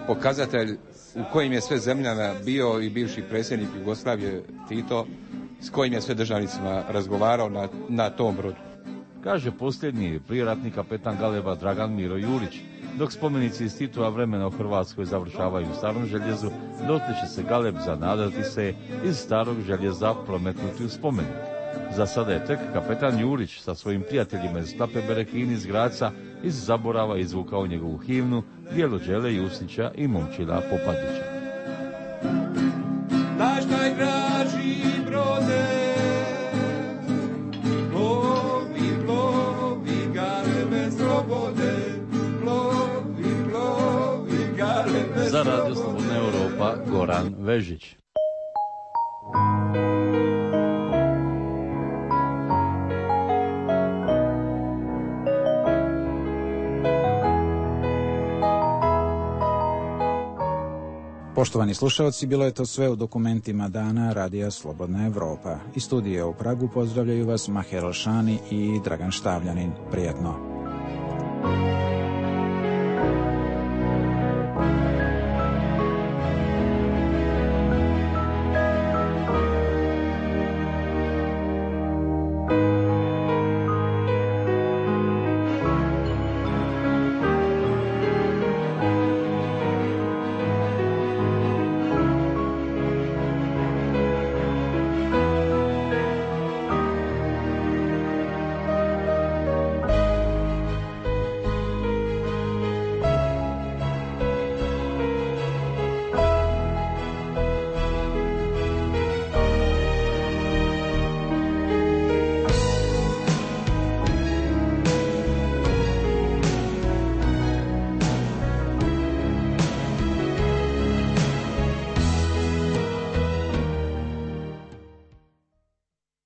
Speaker 25: pokazatelj u kojim je sve zemljama bio i bivši predsjednik Jugoslavije Tito, s kojim je sve državnicima razgovarao na tom brodu.
Speaker 9: Kaže posljednji prijeratni kapetan Galeba Dragan Miro Jurić. Dok spomenici iz Titova vremena u Hrvatskoj završavaju u starom željezu, dotle će se Galeb zanadati se iz starog željeza prometnuti u spomenik. Za sada je tek kapetan Jurić sa svojim prijateljima iz Klape Berekini iz Graca iz zaborava izvukao njegovu himnu Bjelođele Jusića i Momčila Popadića.
Speaker 4: Naš najdraži brode, plovi, plovi, Galebe slobode, plovi, plovi, Galebe slobode.
Speaker 9: Za Radio Slobodna Europa, Goran Vežić.
Speaker 1: Poštovani slušalci, bilo je to sve u dokumentima dana Radija Slobodna Europa. Iz studija u Pragu pozdravljaju vas Maher Alšani i Dragan Štavljanin. Prijetno.